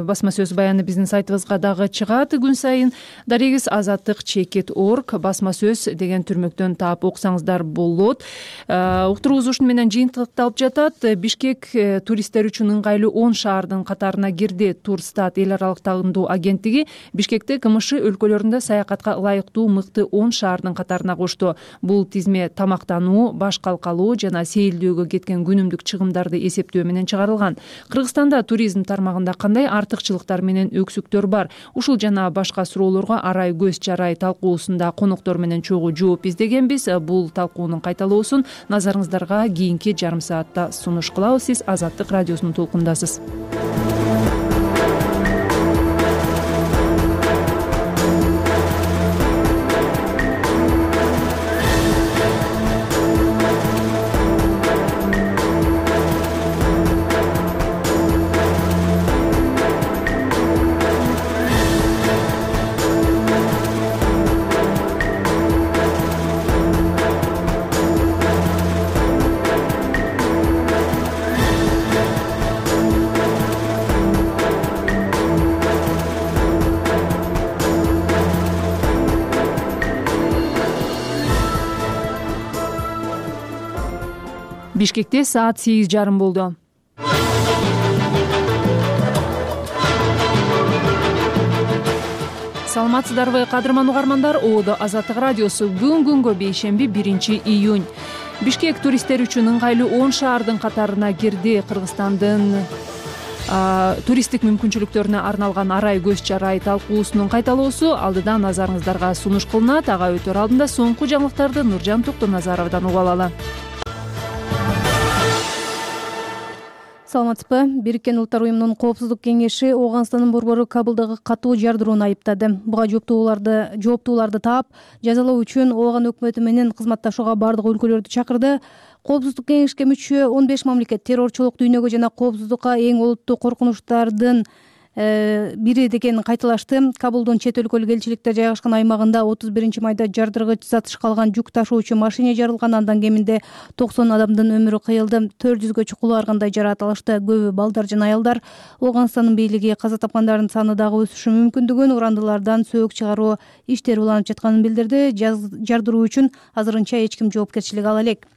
Басма сөз баяны биздин сайтыбызга дагы чыгат күн сайын. Дарегиз азаттык чекит орг басма сөз деген түрмөктөн таап окусаңыздар болот. Уктуруубуз ушуну менен жыйынтыкталып жатат. Бишкек туристтер үчүн ыңгайлуу он шаардын катарына кирди. Турстат эл аралык тагындуу агенттиги Бишкекти КМШ өлкөлөрүндө саякатка ылайыктуу мыкты он шаардын катарына кошту. Бул тизме тамактануу, баш калкалуу жана сейилдөөгө кеткен күнүмдүк чыгымдарды эсептөө менен чыгарылган. Кыргызстанда туризм тармагында кандай артыкчылыктар менен өксүктөр бар? Ушул жана башка суроолорго Арай көз жарай талкуусунда коноктор менен чогуу жооп издегенбиз. Бул талкуунун кайталоосун назарыңыздарга кийинки жарым саатта сунуш кылабыз. Сиз Азаттык радиосунун толкундасыз. Бишкекте саат сегиз жарым болду. Саламатсыздарбы, кадырман угармандар? Оодо Азаттык радиосу. Күн күнгө бейшемби биринчи июнь. Бишкек туристтер үчүн ыңгайлуу он шаардын катарына кирди. Кыргызстандын туристтик мүмкүнчүлүктөрүнө арналган Арай көз жарай талкуусунун кайталоосу алдыда назарыңыздарга сунуш кылынат. Ага өтөр алдында соңку жаңылыктарды Нуржан Токтоназаровдон угуп алалы. Саламатсызбы? Бириккен Улуттар уюмунун Коопсуздук кеңеши Ооганстандын борбору Кабылдагы катуу жардырууну айыптады. Буга жооптууларды жооптууларды таап, жазалоо үчүн Ооган өкмөтү менен кызматташууга бардык өлкөлөрдү чакырды. Коопсуздук кеңешке мүчө он беш мамлекет террорчулук, дүйнөгө жана коопсуздукка эң олуттуу коркунучтардын бири экенин кайталашты. Кабулдун чет өлкөлүк элчиликтер жайгашкан аймагында отуз биринчи майда жардыргыч зат калган жүк ташуучу машине жарылган. Андан кеминде токсон адамдын өмүрү кыйылды. төрт жүзгө чукулу ар кандай жараат алышты. Көбү балдар жана аялдар. Ооганстандын бийлиги каза тапкандардын саны дагы өсүшү мүмкүндүгүн, урандылардан сөөгүк чыгаруу иштери уланып жатканын билдирди. Жардыруу үчүн азырынча эч ким жоопкерчилик ала элек.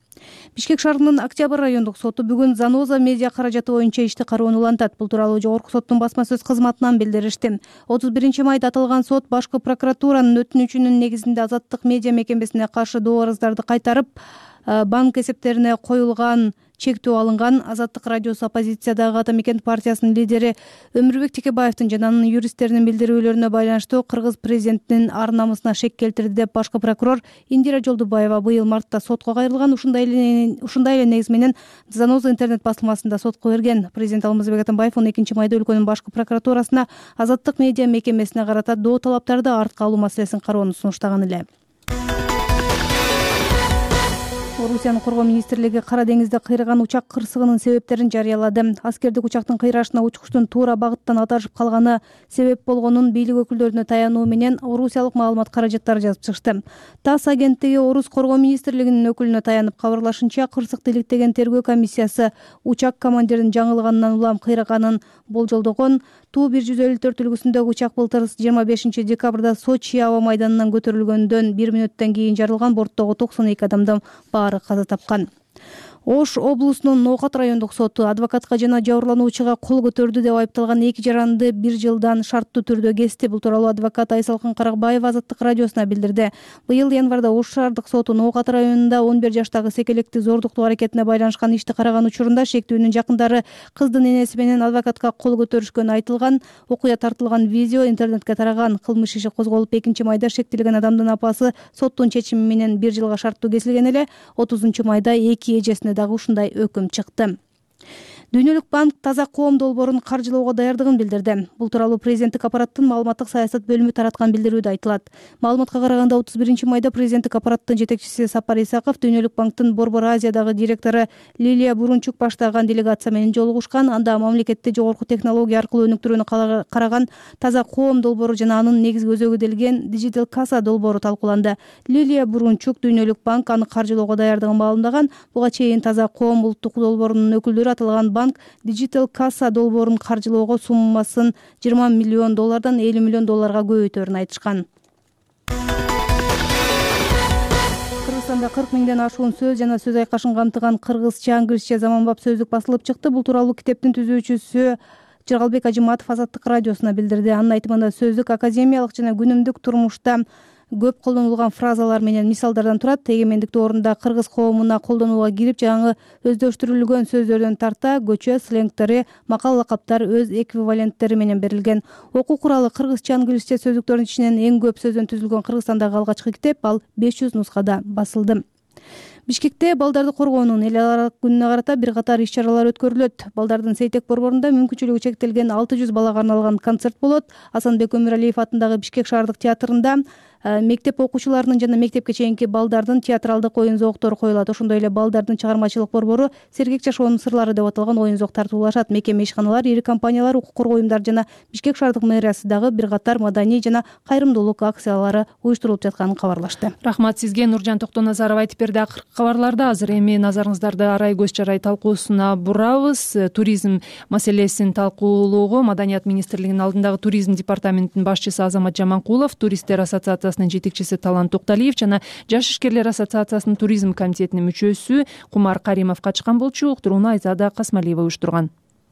Бишкек шаарынын Октябрь райондук соту бүгүн Заноза медиа каражаты боюнча ишти кароону улантат. Бул тууралуу жогорку соттун басма сөз кызматынан билдиришти. отуз биринчи майда аталган сот башкы прокуратуранын өтүнүчүнүн негизинде Азаттык медиа мекемесине каршы доо арыздарды кайтарып, банк эсептерине коюлган чектөө алынган. Азаттык радиосу оппозициядагы Ата Мекен партиясынын лидери Өмүрбек Текебаевдин жана анын юристтеринин билдирүүлөрүнө байланыштуу кыргыз президентинин ар намысына шек келтирди деп башкы прокурор Индира Жолдубаева быйыл мартта сотко кайрылган. Ушундай эле ушундай эле негиз менен Заноза интернет басылмасында сотко берген. Президент Алмазбек Атамбаев он экинчи майда өлкөнүн башкы прокуратурасына Азаттык медиа мекемесине карата доо талаптарды артка алуу маселесин кароону сунуштаган эле. Орусиянын коргоо министрлиги Кара деңизде кыйраган учак кырсыгынын себептерин жарыялады. Аскердик учактын кыйрашына учкучтун туура багыттан адашып калганы себеп болгонун бийлик өкүлдөрүнө таянуу менен орусиялык маалымат каражаттары жазып чыгышты. ТАСС агенттиги Орус коргоо министрлигинин өкүлүнө таянып кабарлашынча, кырсыкты иликтеген тергөө комиссиясы учак командиринин жаңылганынан улам кыйраганын болжолдогон. Туу бир жүз элүү төрт үлгүсүндөгү учак былтыр жыйырма бешинчи декабрда Сочи аба майданынан көтөрүлгөндөн бир мүнөттөн кийин жарылган. Борттогу токсон эки адамдын баары каза тапкан. Ош облусунун Ноокат райондук соту адвокатка жана жабырлануучуга кол көтөрдү деп айыпталган эки жаранды бир жылдан шарттуу түрдө кести. Бул тууралуу адвокат Айсалкын Каракбаева Азаттык радиосуна билдирди. Быйыл январда Ош шаардык соту Ноокат районунда он бир жаштагы секелекти зордуктуу аракетине байланышкан ишти караган учурунда шектүүнүн жакындары кыздын энеси менен адвокатка кол көтөрүшкөнү айтылган. Окуя тартылган видео интернетке тараган. Кылмыш иши козголуп экинчи майда шектелген адамдын апасы соттун чечими менен бир жылга шарттуу кесилген эле. отузунчу майда эки эжесине дагы ушундай өкүм чыкты. Дүйнөлүк банк таза коом долбоорун каржылоого даярдыгын билдирди. Бул тууралуу президенттик аппараттын маалыматтык саясат бөлүмү тараткан билдирүүдө айтылат. Маалыматка караганда отуз биринчи майда президенттик аппараттын жетекчиси Сапар Исаков Дүйнөлүк банктын Борбор Азиядагы директору Лилия Бурунчук баштаган делегация менен жолугушкан. Анда мамлекетти жогорку технология аркылуу өнүктүрүүнү караган таза коом долбоору жана анын негизги өзөгү делген Digital Casa долбоору талкууланды. Лилия Бурунчук Дүйнөлүк банк аны каржылоого даярдыгын маалымдаган. Буга чейин таза коом улуттук долбоорунун өкүлдөрү аталган банк Digital Casa долбоорун каржылоого суммасын жыйырма миллион доллардан элүү миллион долларга көбөйтөөрүн айтышкан. Кыргызстанда кырк миңден ашуун сөз жана сөз айкашын камтыган кыргызча, англисче заманбап сөздүк басылып чыкты. Бул тууралуу китептин түзүүчүсү Жыргалбек Ажыматов Азаттык радиосуна билдирди. Анын айтымында сөздүк академиялык жана күнүмдүк турмушта көп колдонулган фразалар менен мисалдардан турат. Эгемендикти ордунда кыргыз коомуна колдонууга кирип жаңы өздөштүрүлгөн сөздөрдөн тарта көчө сленгтери, макал лакаптар өз эквиваленттери менен берилген. Окуу куралы кыргызча англисче сөздүктөрдүн ичинен эң көп сөздөн түзүлгөн Кыргызстандагы алгачкы китеп ал беш жүз нускада басылды. Бишкекте балдарды коргоонун эл аралык күнүнө карата бир катар иш-чаралар өткөрүлөт. Балдардын Сейтек борборунда мүмкүнчүлүгү чектелген алты жүз балага арналган концерт болот. Асанбек Өмүралиев атындагы Бишкек шаардык театрында мектеп окуучуларынын жана мектепке чейинки балдардын театралдык оюн-зооктору коюлат. Ошондой эле балдардын чыгармачылык борбору Сергек жашоонун сырлары деп аталган оюн-зоок тартуулашат. Мекеме, ишканалар, ири компаниялар, укук коргоо уюмдары жана Бишкек шаардык мэриясы дагы бир катар маданий жана кайрымдуулук акциялары уюштурулуп жатканын кабарлашты. Рахмат сизге, Нуржан Токтоназаров айтып берди акыркы кабарларда. Азыр эми назарыңыздарды Арай көз чарай талкуусуна бурабыз. Туризм маселесин талкуулоого Маданият министрлигинин алдындагы туризм департаментинин башчысы Азамат Жаманкулов, туристтер ассоциациясынын жетекчиси Талант Токталиев жана Жаш ишкерлер ассоциациясынын туризм комитетинин мүчөсү Кумар Каримов катышкан болчу. Уктурууну Айзада Касмалиева уюштурган.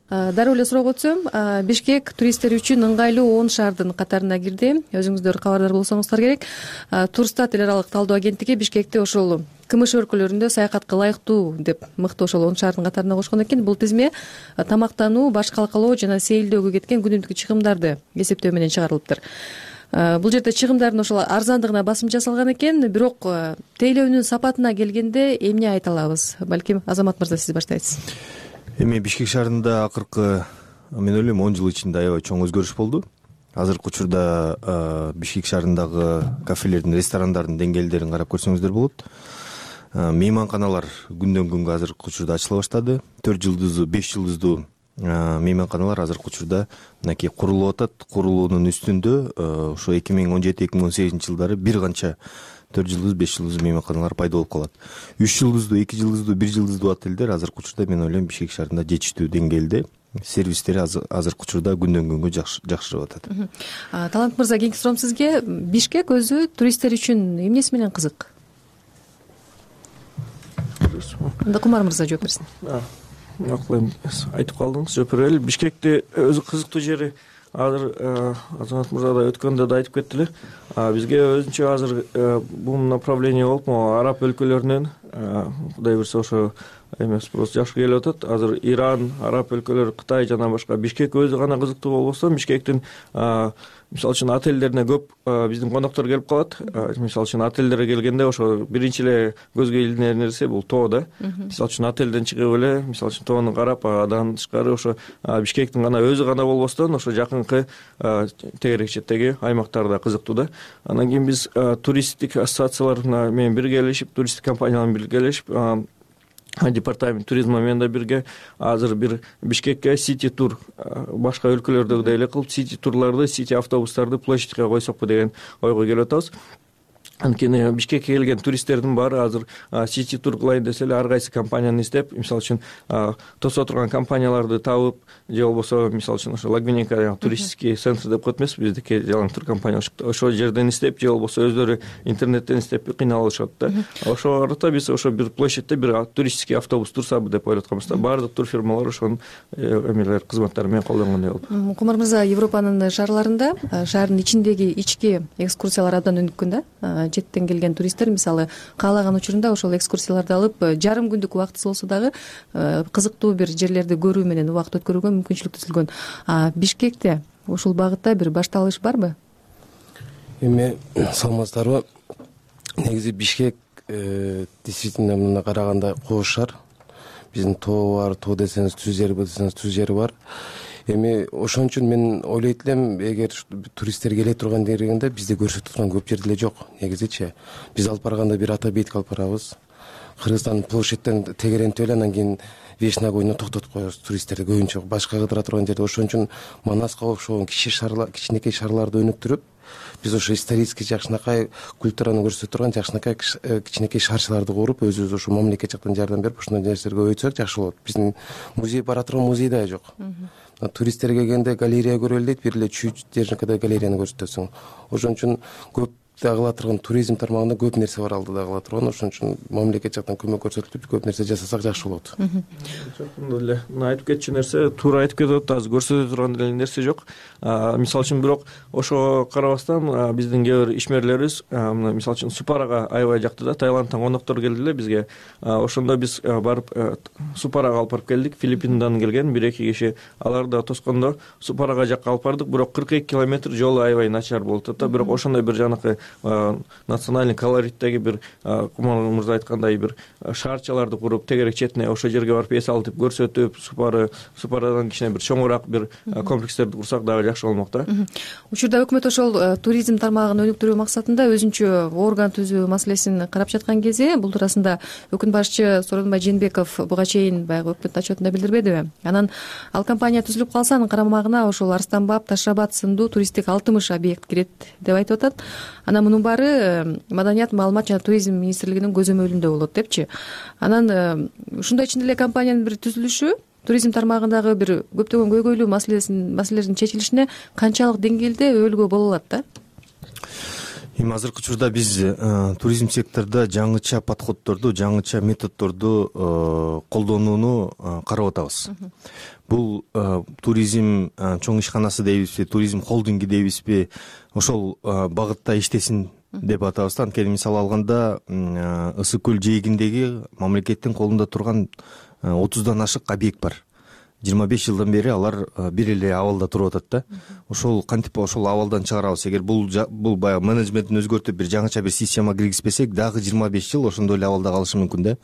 Дароо эле суроого өтсөм, Бишкек туристтер үчүн ыңгайлуу он шаардын катарына кирди. Өзүңүздөр кабардар болсоңуздар керек. Турстат эл аралык талдоо агенттиги Бишкекти ошол КМШ өлкөлөрүндө саякатка ылайыктуу деп мыкты ошол он шаардын катарына кошкон экен. Бул тизме тамактануу, баш калкалоо жана сейилдөөгө кеткен күнүмдүк чыгымдарды эсептөө менен чыгарылыптыр. Бул жерде чыгымдардын ошол арзандыгына басым жасалган экен, бирок тейлөөнүн сапатына келгенде эмне айта алабыз? Балким Азамат мырза сиз баштайсыз. Эми Бишкек шаарында акыркы мен ойлойм он жыл ичинде аябай чоң өзгөрүш болду. Азыркы учурда Бишкек шаарындагы кафелердин, ресторандардын деңгээлдерин карап көрсөңүздөр болот. Мейманканалар күндөн күнгө азыркы учурда ачыла баштады. төрт жылдыздуу, беш жылдыздуу мейманканалар азыркы учурда мынакей курулуп атат. Курулуунун үстүндө ошо эки миң он жети эки миң он сегизинчи жылдары бир канча төрт жылдыз, беш жылдыз мейманканалар пайда болуп калат. үч жылдыздуу, эки жылдыздуу, бир жылдыздуу отелдер азыркы учурда мен ойлойм Бишкек шаарында жетиштүү деңгээлде. Сервистери азыркы учурда күндөн күнгө жакшырып атат. Талант мырза, кийинки суроом сизге. Бишкек өзү туристтер үчүн эмнеси менен кызык? Анда Кумар мырза жооп берсин. Макул, эми айтып калдыңыз, жооп берели. Бишкекти өзү кызыктуу жери азыр Азамат мырза да өткөндө да айтып кетти эле. Бизге өзүнчө азыр бул направление болуп, могу араб өлкөлөрүнөн Кудай буйрса ошо эме спрос жакшы келип атат. Азыр Иран, араб өлкөлөрү, Кытай жана башка. Бишкек өзү гана кызыктуу болбосо, Бишкектин мисалы үчүн отелдерине көп биздин коноктор келип калат. Мисалы үчүн отелдерге келгенде ошо биринчи эле көзгө илинер нерсе бул тоо да. Мисалы үчүн отелден чыгып эле, мисалы үчүн тоону карап, адан тышкары ошо Бишкектин гана өзү гана болбостон, ошо жакынкы тегерек четтеги аймактарда кызыктуу да. Андан кийин биз туристтик ассоциациялар менен биргелешип, туристтик компаниялар менен биргелешип, департамент туризма менен да бирге азыр бир Бишкекке сити тур, башка өлкөлөрдөгүдөй эле кылып сити турларды, сити автобустарды площадьке койсокпу деген ойго келип атабыз. Анткени Бишкекке келген туристтердин баары азыр сити тур кылайын десе эле ар кайсы компанияны издеп, мисалы үчүн тосо турган компанияларды табып, же болбосо мисалы үчүн ошо Лагвиненко туристический центр деп коет эмеспи, биздики жалаң тур компания ошол жерден издеп, же болбосо өздөрү интернеттен издеп кыйналышат да. Ошого карата биз ошо бир площадьте бир туристический автобус турсабы деп ойлоп атканбыз да. Баардык турфирмалар ошонун эмелер, кызматтары менен колдонгондой болуп. Кумар мырза, Европанын шаарларында шаардын ичиндеги ички экскурсиялар абдан өнүккөн да. Четтен келген туристтер мисалы каалаган учурунда ошол экскурсияларды алып, жарым күндүк убактысы болсо дагы кызыктуу бир жерлерди көрүү менен убакыт өткөрүүгө мүмкүнчүлүк түзүлгөн. Бишкекте ушул багытта бир башталыш барбы? Эми саламатсыздарбы? Негизи Бишкек действительно мына караганда кош шаар. Биздин тоо бар, тоо десеңиз түз жери, десеңиз түз жери бар. Эми ошон үчүн мен ойлойт элем, эгер туристтер келе турган дегенде бизде көрсөтүп турган көп жер деле жок. Негизичи биз алып барганда бир ата бейитке алып барабыз. Кыргызстан площадьтен тегерентип эле анан кийин Вешна койуна токтотуп коебуз туристтерди көбүнчө башка кыдыра турган жерде. Ошон үчүн Манаска окшогон кичи шаарлар, кичинекей шаарларды өнүктүрүп, биз ошо исторический жакшынакай культураны көрсөтө турган жакшынакай кичинекей шаарчыларды куруп, өзүбүз ошо мамлекет жактан жардам берип, ошондой нерселерди көбөйтсөк жакшы болот. Биздин музей бара турган музей да жок. Туристтер келгенде галерея көрөлү дейт, бир эле чүй жеринкиде галереяны көрсөтөсүң. Ошон үчүн көп кыла турган туризм тармагында көп нерсе бар алдыда кыла турган. Ошон үчүн мамлекет жактан көмөк көрсөтүлүп көп нерсе жасасак жакшы болот. Чоң эле мына айтып кетчү нерсе туура айтып кетип атат. Азыр көрсөтө турган эле нерсе жок. Мисалы үчүн бирок ошого карабастан биздин кээ бир ишмерлерибиз мына мисалы үчүн Супарага аябай жакты да. Таиландтан коноктор келди эле бизге. Ошондо биз барып Супарага алып барып келдик. Филиппиндан келген бир эки киши. Алар да тоскондо Супарага жакка алып бардык. Бирок кырк эки километр жолу аябай начар болуп атат да. Бирок ошондой бир жанакы национальный колориттеги бир Кумар мырза айткандай бир шаарчаларды куруп тегерек четине ошол жерге барып эс алып көрсөтүп, Супары Супарадан кичине бир чоңураак бир комплекстерди курсак дагы жакшы болмок да. Учурда өкмөт ошол туризм тармагын өнүктүрүү максатында өзүнчө орган түзүү маселесин карап жаткан кезде бул туурасында өкмөт башчы Сооронбай Жээнбеков буга чейин баягы өкмөт отчетунда билдирбедиби? Анан ал компания түзүлүп калса анын карамагына ошол Арстан баб, Таш абад сындуу туристтик алтымыш объект кирет деп айтып атат. Анан мунун баары Маданият, маалымат жана туризм министрлигинин көзөмөлүндө болот депчи. Анан ушундай ичинде эле компаниянын бир түзүлүшү туризм тармагындагы бир көптөгөн көйгөйлүү маселесин маселелердин чечилишине канчалык деңгээлде өбөлгө боло алат да? Эми азыркы учурда биз туризм секторунда жаңыча подходдорду, жаңыча методдорду колдонууну карап атабыз. Бул туризм чоң ишканасы дейбизби, туризм холдинги дейбизби, ошол багытта иштесин деп атабыз. Анткени мисалы алганда Ысык көл жээгиндеги мамлекеттин колунда турган отуздан ашык объект бар. жыйырма беш жылдан бери алар бир эле абалда туруп атат да. Ошол кантип ошол абалдан чыгарабыз. Эгер бул бул баягы менеджментин өзгөртүп бир жаңыча бир система киргизбесек, дагы жыйырма беш жыл ошондой эле абалда калышы мүмкүн да.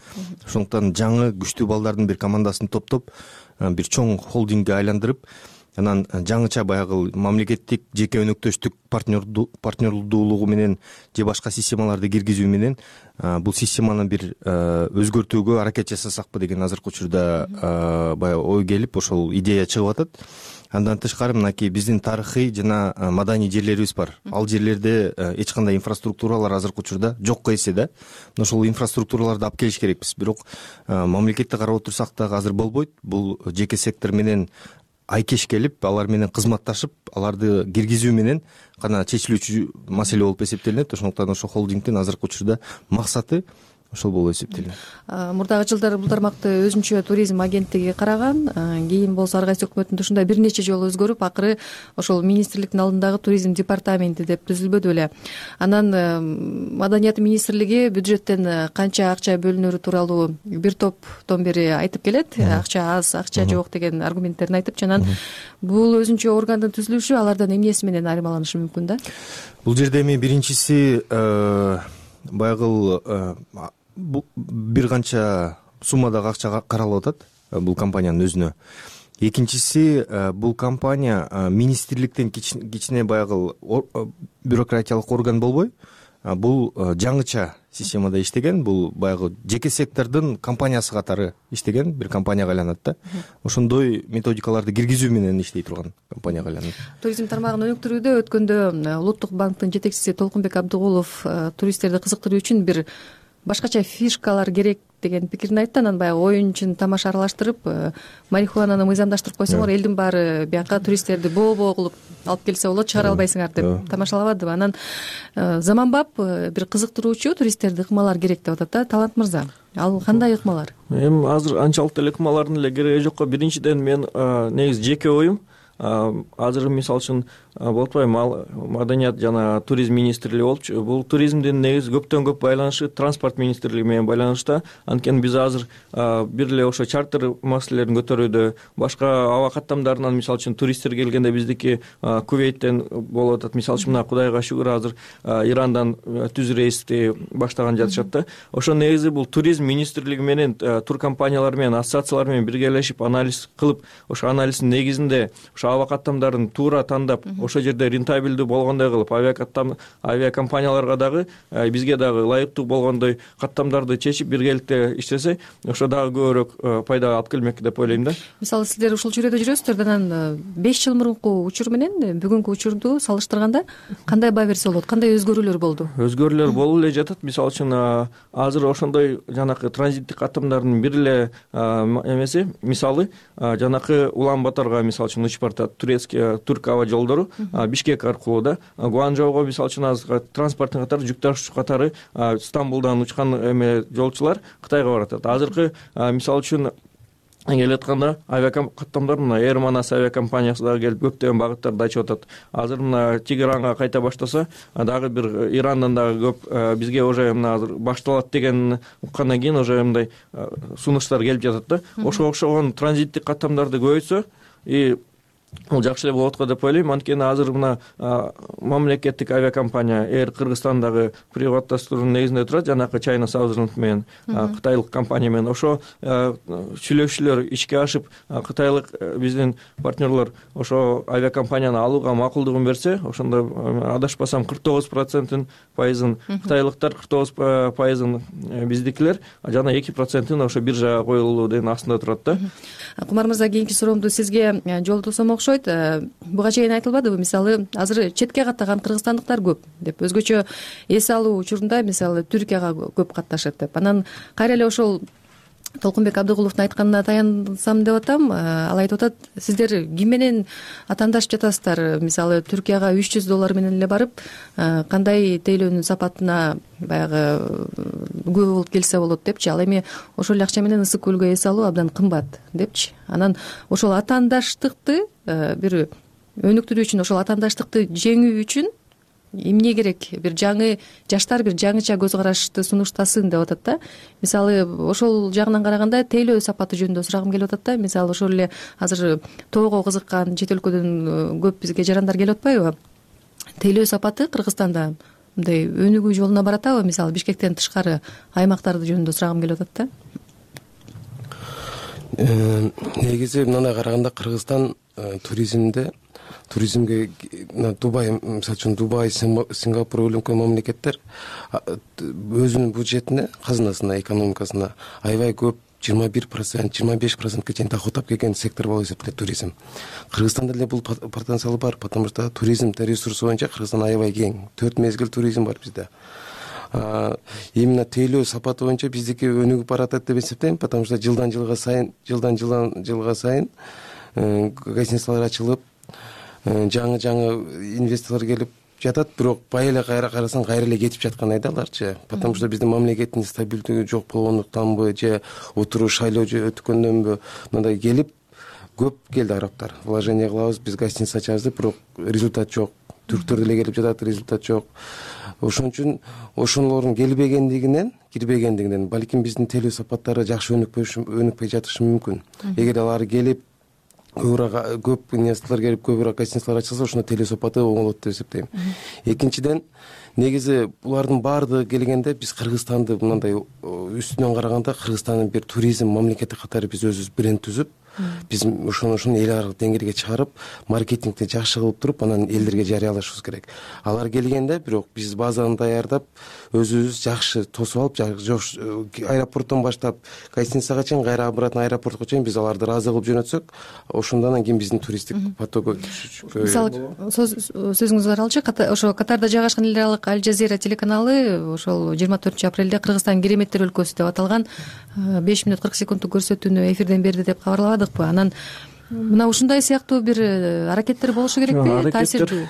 Ошондуктан жаңы күчтүү балдардын бир командасын топтоп, бир чоң холдингге айландырып, анан жаңыча баягы мамлекеттик жеке өнөктөштүк партнерлуулугу менен же башка системаларды киргизүү менен бул системаны бир өзгөртүүгө аракет жасасакпы деген азыркы учурда баягы ой келип, ошол идея чыгып атат. Андан тышкары мынакей биздин тарыхый жана маданий жерлерибиз бар. Ал жерлерде эч кандай инфраструктуралар азыркы учурда жокко эсе да. Ошол инфраструктураларды алып келиш керекпиз. Бирок мамлекетти карап отурсак дагы азыр болбойт. Бул жеке сектор менен айкеш келип, алар менен кызматташып, аларды киргизүү менен гана чечилүүчү маселе болуп эсептелинет. Ошондуктан ошол холдингдин азыркы учурда максаты ошол болуп эсептелинет. Мурдагы жылдары бул тармакты өзүнчө туризм агенттиги караган, кийин болсо ар кайсы өкмөттүн ушундай бир нече жолу өзгөрүп, акыры ошол министрликтин алдындагы туризм департаменти деп түзүлбөдү беле. Анан Маданият министрлиги бюджеттен канча акча бөлүнөрү тууралуу бир топтон бери айтып келет. Акча аз, акча жок деген аргументтерин айтып, анан бул өзүнчө органдын түзүлүшү алардан эмнеси менен айырмаланышы мүмкүн да? Бул жерде эми биринчиси баягы бир канча суммадагы акча каралып атат бул компаниянын өзүнө. Экинчиси, бул компания министрликтен кичине баягы бюрократиялык орган болбой, бул жаңыча системада иштеген, бул баягы жеке сектордун компаниясы катары иштеген бир компанияга айланат да. Ошондой методикаларды киргизүү менен иштей турган компанияга айланат. Туризм тармагын өнүктүрүүдө өткөндө Улуттук банктын жетекчиси Толкунбек Абдыгулов туристтерди кызыктыруу үчүн бир башкача фишкалар керек деген пикирин айтты. Анан баягы оюн-чын тамаша аралаштырып, марихуананы мыйзамдаштырып койсоңор, элдин баары бияка туристтерди боо-боо кылып алып келсе болот, чыгара албайсыңар деп тамашалабадыбы? Анан заманбап бир кызыктыруучу туристтерди ыкмалар керек деп атат да. Талант мырза, ал кандай ыкмалар? Эми азыр анчалык деле ыкмалардын эле кереги жокко. Биринчиден мен негизи жеке оюм, азыр мисалы үчүн болуп атпайбы, Маданият жана туризм министрлиги болупчу. Бул туризмдин негизи көптөн көп байланышы транспорт министрлиги менен байланышта. Анткени биз азыр бир эле ошо чартер маселелерин көтөрүүдө, башка аба каттамдарынан мисалы үчүн туристтер келгенде биздики Кувейттен болуп атат. Мисалы үчүн мына Кудайга шүгүр азыр Ирандан түз рейсти баштаган жатышат да. Ошо негизи бул туризм министрлиги менен тур компаниялар менен, ассоциациялар менен биргелешип анализ кылып, ошо анализдин негизинде ошо аба каттамдарын туура тандап, ошол жерде рентабелдүү болгондой кылып, авиакомпанияларга дагы, бизге дагы ылайыктуу болгондой каттамдарды чечип биргеликте иштесе, ошо дагы көбүрөөк пайда алып келмек деп ойлойм да. Мисалы сиздер ушул чөйрөдө жүрөсүздөр, анан беш жыл мурунку учур менен бүгүнкү учурду салыштырганда кандай баа берсе болот, кандай өзгөрүүлөр болду? Өзгөрүүлөр болуп эле жатат. Мисалы үчүн азыр ошондой жанакы транзиттик каттамдардын бир эле эмеси, мисалы жанакы Улан Баторго мисалы үчүн учуп баратат, турецкий турк аба жолдору Бишкек аркылуу да, Гуанчжоуго мисалы үчүн азыр транспорттун катары жүк ташуучу катары Стамбулдан учкан эме жолчулар Кытайга баратат. Азыркы мисалы үчүн келип атканда авиакаттамдар мына Air Manas авиакомпаниясы дагы келип көптөгөн багыттарды ачып атат. Азыр мына Тегеранга кайта баштаса, дагы бир Ирандан дагы көп бизге уже мына азыр башталат деген уккандан кийин уже мындай сунуштар келип жатат да. Ошого окшогон транзиттик каттамдарды көбөйтсө и бул жакшы эле болот го деп ойлойм. Анткени азыр мына мамлекеттик авиакомпания Air Кыргызстандагы приватташтыруунун негизинде турат, жанакы China Southern менен кытайлык компания менен. Ошо сүйлөшүүлөр ишке ашып, кытайлык биздин партнерлор ошо авиакомпанияны алууга макулдугун берсе, ошондо адашпасам кырк тогуз процентин пайызын кытайлыктар, кырк тогуз пайызын биздикилер, жана эки процентин ошо биржага коюлуу деген астында турат да. Кумар мырза, кийинки суроомду сизге жолтосом окшойт. Буга чейин айтылбадыбы, мисалы азыр четке каттаган кыргызстандыктар көп деп, өзгөчө эс алуу учурунда мисалы Түркияга көп катташат деп. Анан кайра эле ошол Толкунбек Абдыгуловдун айтканына таянсам деп атам. Ал айтып атат, сиздер ким менен атаандашып жатасыздар? Мисалы Түркияга үч жүз доллар менен эле барып, кандай тейлөөнүн сапатына баягы күбө болуп келсе болот депчи. Ал эми ошол акча менен ысык көлгө эс алуу абдан кымбат депчи. Анан ошол атаандаштыкты бир өнүктүрүү үчүн, ошол атаандаштыкты жеңүү үчүн эмне керек? Бир жаңы жаштар бир жаңыча көз карашты сунуштасын деп атат да. Мисалы ошол жагынан караганда тейлөө сапаты жөнүндө сурагым келип атат да. Мисалы ошол эле азыр тоого кызыккан чет өлкөдөн көп бизге жарандар келип атпайбы? Тейлөө сапаты Кыргызстанда мындай өнүгүү жолуна баратабы? Мисалы Бишкектен тышкары аймактарды жөнүндө сурагым келип атат да. Негизи мындай караганда Кыргызстан туризмде туризмге Дубай, мисалы үчүн Дубай, Сингапур өлкө мамлекеттер өзүнүн бюджетине, казынасына, экономикасына аябай көп, жыйырма бир процент, жыйырма беш процентке чейин доход тап келген сектор болуп эсептелет туризм. Кыргызстанда деле бул потенциалы бар, потому что туризм ресурсу боюнча Кыргызстан аябай кең. төрт мезгил туризм бар бизде. Именно тейлөө сапаты боюнча биздики өнүгүп баратат деп эсептейм, потому что жылдан жылга сайын, жылдан жылга сайын гостиницалар ачылып, жаңы жаңы инвесторлор келип жатат, бирок бай эле кайра карасаң кайра эле кетип жаткан айдаларчы. Потому что биздин мамлекеттин стабилдүүлүгү жок болгондуктанбы же отуруу шайлоо же өткөндөнбү мындай келип көп келди арабтар. Вложение кылабыз, биз гостиница ачабыз деп, бирок результат жок. Түрктөр деле келип жатат, результат жок. Ошон үчүн ошолордун келбегендигинен, кирбегендигинен балким биздин тейлөө сапаттары жакшы өнүкпөй жатышы мүмкүн. Эгер алар келип көбүрөөк көп инвесторлор келип көбүрөөк гостиницалар ачылса, ошондо тейлөө сапаты оңолот деп эсептейм. Экинчиден, негизи булардын баардыгы келгенде биз Кыргызстанды мындай үстүнөн караганда Кыргызстандын бир туризм мамлекети катары биз өзүбүз бренд түзүп, биз ошону ошону эл аралык деңгээлге чыгарып, маркетингди жакшы кылып туруп, анан элдерге жарыялашыбыз керек. Алар келгенде бирок биз базаны даярдап, өзүбүз жакшы тосуп алып, аэропорттон баштап гостиницага чейин, кайра обратно аэропортко чейин биз аларды ыраазы кылып жөнөтсөк, ошондон кийин биздин туристтик потогу түшүшкө. Мисалы сөзүңүз аралчы, ошо Катарда жайгашкан эл аралык Аль Жазира телеканалы ошол жыйырма төртүнчү апрелде Кыргызстан кереметтер өлкөсү деп аталган беш мүнөт кырк секунддук көрсөтүүнү эфирден берди деп кабарлабадыкпы? Анан мына ушундай сыяктуу бир аракеттер болушу керекпи? Таасирдүү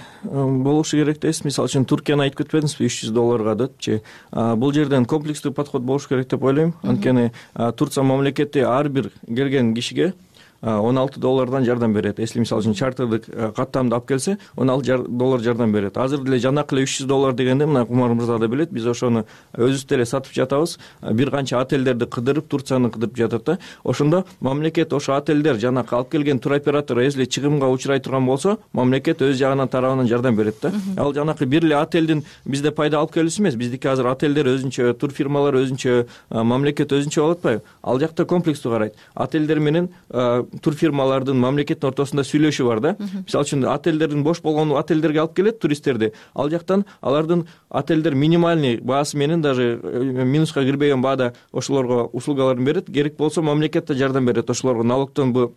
болушу керек дейсиз. Мисалы үчүн Туркияны айтып кетпедиңизби, үч жүз долларга депчи. Бул жерден комплекстүү подход болушу керек деп ойлойм. Анткени Турция мамлекети ар бир келген кишиге он алты доллардан жардам берет. Если мисалы үчүн чартердик каттамды алып келсе, он алты доллар жардам берет. Азыр деле жанакы эле үч жүз доллар дегенде, мына Кумар мырза да билет, биз ошону өзүбүз деле сатып жатабыз. Бир канча отелдерди кыдырып, Турцияны кыдырып жатат да. Ошондо мамлекет ошо отелдер жанакы алып келген туроператор если чыгымга учурай турган болсо, мамлекет өз жагынан тарабынан жардам берет да. Ал жанакы бир эле отелдин бизде пайда алып келүүсү эмес. Биздики азыр отелдер өзүнчө, турфирмалар өзүнчө, мамлекет өзүнчө болуп атпайбы? Ал жакта комплекстүү карайт. Отелдер менен турфирмалардын мамлекеттин ортосунда сүйлөшүү бар да. Мисалы үчүн отелдердин бош болгон отелдерге алып келет туристтерди. Ал жактан алардын отелдер минимальный баасы менен, даже минуска кирбеген баада ошолорго услугаларын берет. Керек болсо мамлекет да жардам берет ошолорго налогтон бу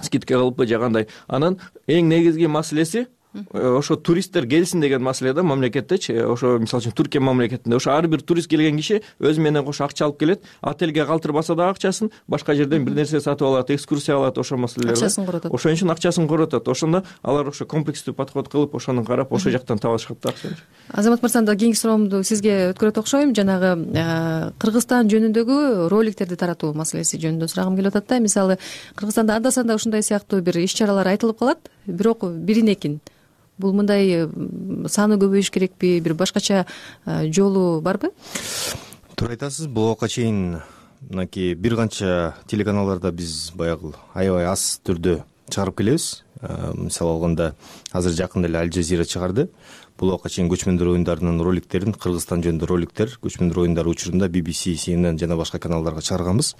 скидка кылыпбы же кандай. Анан эң негизги маселеси ошо туристтер келсин деген маселе да мамлекеттечи. Ошо мисалы үчүн Түркия мамлекетинде ошо ар бир турист келген киши өзү менен кошо акча алып келет, отелге калтырбаса дагы акчасын, башка жерден бир нерсе сатып алат, экскурсия алат, ошо маселелер акчасын коротот. Ошон үчүн акчасын коротот. Ошондо алар ошо комплекстүү подход кылып, ошону карап, ошо жактан табышат да акчаны. Азамат мырзам да кийинки суроомду сизге өткөрөт окшойм. Жанагы Кыргызстан жөнүндөгү роликтерди таратуу маселеси жөнүндө сурагым келип атат да. Мисалы, Кыргызстанда анда санда ушундай сыяктуу бир иш-чаралар айтылып калат, бирок бирин экин. Бул мындай саны көбөйүш керекпи, бир башкача жолу барбы? Туура айтасыз. Буга чейин мынакей бир канча телеканалдарда биз баягы аябай аз түрдө чыгарып келебиз. Мисалы алганда азыр жакында эле Аль Жазира чыгарды. Бул убакка чейин көчмөндөр оюндарынын роликтерин, Кыргызстан жөнүндө роликтер көчмөндөр оюндары учурунда би би си, Си Эн Эн жана башка каналдарга чыгарганбыз.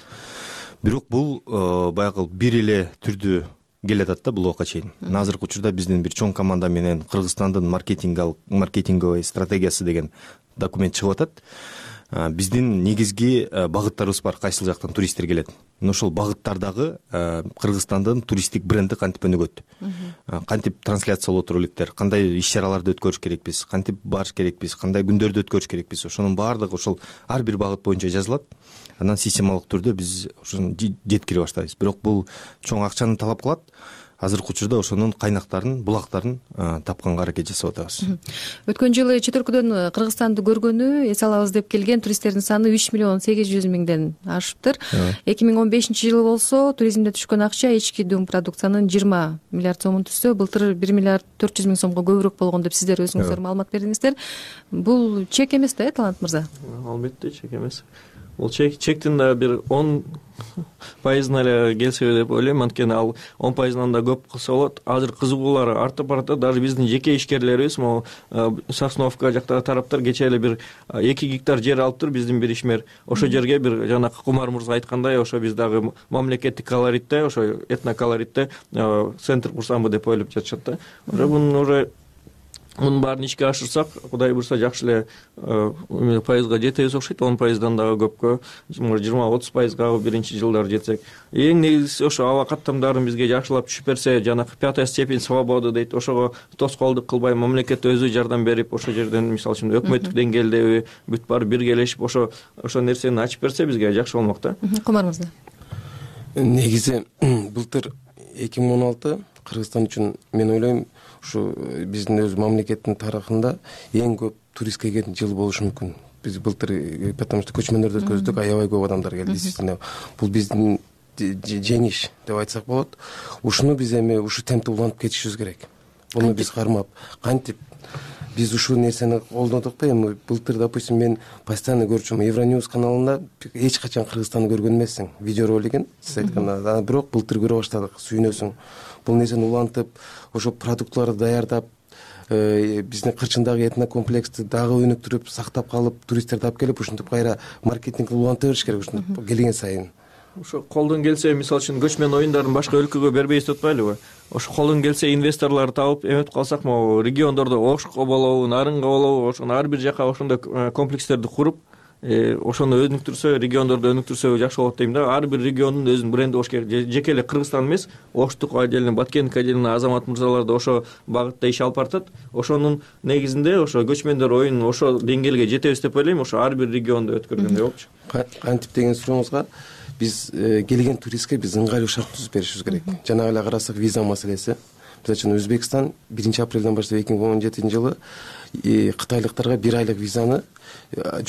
Бирок бул баягы бир эле түрдүү келатат да бул убакка чейин. Азыркы учурда биздин бир чоң команда менен Кыргызстандын маркетингалык маркетинговый стратегиясы деген документ чыгып атат. Биздин негизги багыттарыбыз бар, кайсыл жактан туристтер келет. Мына ошол багыттардагы Кыргызстандын туристтик бренди кантип өнүгөт, кантип трансляция болот роликтер, кандай иш-чараларды өткөрүш керекпиз, кантип барыш керекпиз, кандай күндөрдү өткөрүш керекпиз, ошонун баардыгы ошол ар бир багыт боюнча жазылат. Андан системалык түрдө биз ошону жеткире баштайбыз. Бирок бул чоң акчаны талап кылат. Азыркы учурда ошонун кайнактарын, булактарын тапканга аракет жасап атабыз. Өткөн жылы чет өлкөдөн Кыргызстанды көргөнү, эс алабыз деп келген туристтердин саны үч миллион сегиз жүз миңден ашыптыр. эки миң он бешинчи жылы болсо туризмде түшкөн акча ички дум продукциянын жыйырма миллиард сомун түзсө, былтыр бир миллиард төрт жүз миң сомго көбүрөөк болгон деп сиздер өзүңүздөр маалымат бердиңиздер. Бул чек эмес да, Талант мырза? Албетте чек эмес. Бул чек чектин да бир он пайызына эле келсе деп ойлойм. Анткени ал он пайызынан да көп кылса болот. Азыр кызыгуулар артып баратат. Даже биздин жеке ишкерлерибиз, могу Сосновка жактагы тараптар кече эле бир эки гектар жер алыптыр биздин бир ишмер. Ошол жерге бир жанакы Кумар мырза айткандай, ошо биз дагы мамлекеттик колоритте, ошо этноколоритте центр курсамбы деп ойлоп жатышат да. Уже мунун уже мунун баарын ишке ашырсак, Кудай буйрса жакшы эле пайызга жетебиз окшойт. он пайыздан дагы көпкө, жыйырма отуз пайызга биринчи жылдары жетсек. Эң негизгиси ошо аба каттамдарын бизге жакшылап түшүп берсе, жанакы пятая степень свободы дейт, ошого тоскоолдук кылбай мамлекет өзү жардам берип, ошо жерден мисалы үчүн өкмөттүк деңгээлдеби бүт баары биргелешип ошо ошо нерсени ачып берсе бизге жакшы болмок да. Кумар мырза. Негизи былтыр эки миң он алты Кыргызстан үчүн мен ойлойм ушу биздин өз мамлекеттин тарыхында эң көп турист келген жыл болушу мүмкүн. Биз былтыр потому что көчмөндөрдү өткөздүк, аябай көп адамдар келди. Действительно, бул биздин жеңиш деп айтсак болот. Ушуну биз эми ушу темпти улантып кетишибиз керек. Буну биз кармап, кантип биз ушул нерсени колдодукпу? Эми былтыр, допустим, мен постоянно көрчүм Евроньюз каналында эч качан Кыргызстанды көргөн эмессиң видеоролигин, сиз айткандай. Бирок былтыр көрө баштадык, сүйүнөсүң. Бул нерсени улантып, ошо продуктларды даярдап, биздин кырчындагы этнокомплексти дагы өнүктүрүп, сактап калып, туристтерди алып келип, ушинтип кайра маркетингди уланта бериш керек, ушинтип келген сайын. Ошо колдон келсе, мисалы үчүн көчмөн оюндарын башка өлкөгө бербейбиз деп атпайлыбы? Ошо колдон келсе инвесторлорду табып эметип калсак, могу региондордо Ошко болобу, Нарынга болобу, ошону ар бир жака ошондой комплекстерди куруп, ошону өнүктүрсө, региондорду өнүктүрсө жакшы болот дейм да. Ар бир региондун өзүнүн бренди болуш керек. Жеке эле Кыргызстан эмес, Оштук отделин, Баткендик отделин Азамат мырзалар да ошо багытта иш алып баратат. Ошонун негизинде ошо көчмөндөр оюнун ошо деңгээлге жетебиз деп ойлойм. Ошо ар бир региондо өткөргөндөй болчу. Кантип деген сурооңузга биз келген туристке биз ыңгайлуу шарт түзүп беришибиз керек. Жана эле карасак виза маселеси. Мисалы үчүн Өзбекстан биринчи апрелден баштап эки миң он жетинчи жылы кытайлыктарга бир айлык визаны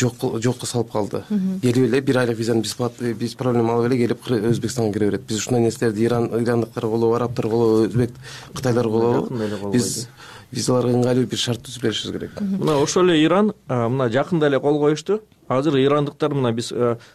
жок жокко салып калды. Келип эле бир айлык визаны биз биз проблема алып эле келип Өзбекстанга кире берет. Биз ушундай нерселерди Иран ирандыктарга болобу, арабтарга болобу, өзбек кытайларга болобу, биз визаларга ыңгайлуу бир шарт түзүп беришибиз керек. Мына ошол эле Иран мына жакында эле кол коюшту. Азыр ирандыктар мына биз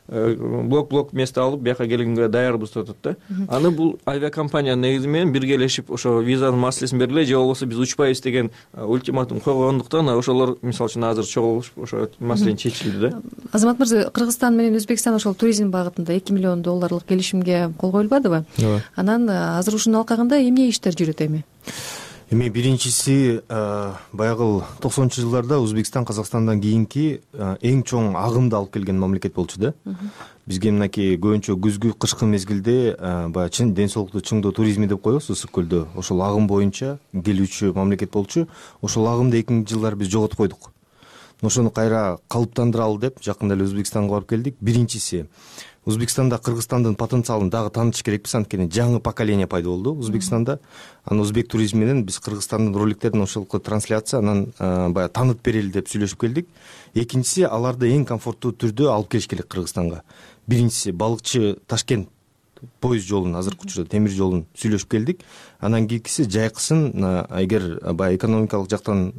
блок-блок место алып бияка келгенге даярбыз деп атат да. Аны бул авиакомпания негизи менен биргелешип ошо визанын маселесин бергиле, же болбосо биз учпайбыз деген ультиматум койгондуктан ошолор мисалы үчүн азыр чогулушуп ошо маселени чечилди да. Азамат мырза, Кыргызстан менен Өзбекстан ошол туризм багытында эки миллион долларлык келишимге кол коюлбадыбы? Анан азыр ушунун алкагында эмне иштер жүрөт эми? Эми биринчиси баягы токсонунчу жылдарда Өзбекстан Казакстандан кийинки эң чоң агымды алып келген мамлекет болчу да. бизге мынакей көбүнчө күзгү кышкы мезгилде баягы чын ден соолукту чыңдоо туризми деп коебуз ысык көлдө. Ошол агым боюнча келүүчү мамлекет болчу. Ошол агымды экинчи жылдары биз жоготуп койдук. Ошону кайра калыптандыралы деп жакында эле Өзбекстанга барып келдик. Биринчиси, Өзбекстанда Кыргызстандын потенциалын дагы таанытыш керекпиз, анткени жаңы поколение пайда болду Өзбекстанда. Анан өзбек туризми менен биз Кыргызстандын роликтерин ошолку трансляция анан баягы таанытып берели деп сүйлөшүп келдик. Экинчиси, аларды эң комфорттуу түрдө алып келиш керек Кыргызстанга. Биринчиси, балыкчы Ташкент поезд жолун, азыркы учурда темир жолун сүйлөшүп келдик. Анан кийинкиси жайкысын, эгер баягы экономикалык жактан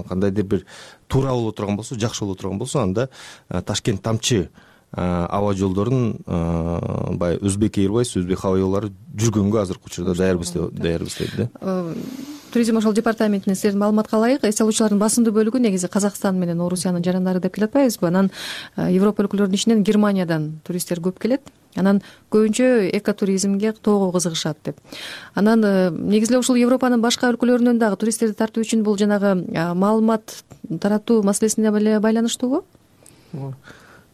кандайдыр бир туура боло турган болсо, жакшы боло турган болсо, анда Ташкент Тамчы аба жолдорун баягы Өзбек Airways, Өзбек Hava Yo'llары жүргөнгө азыркы учурда даярбыз даярбыз дейт да. Туризм ошол департаментинин силердин маалыматка ылайык, эс алуучулардын басымдуу бөлүгү негизи Казакстан менен Орусиянын жарандары деп келе атпайбызбы? Анан Европа өлкөлөрүнүн ичинен Германиядан туристтер көп келет. Анан көбүнчө экотуризмге тоого кызыгышат деп. Анан негизи эле ушул Европанын башка өлкөлөрүнөн дагы туристтерди тартуу үчүн бул жанагы маалымат таратуу маселесине байланыштуубу?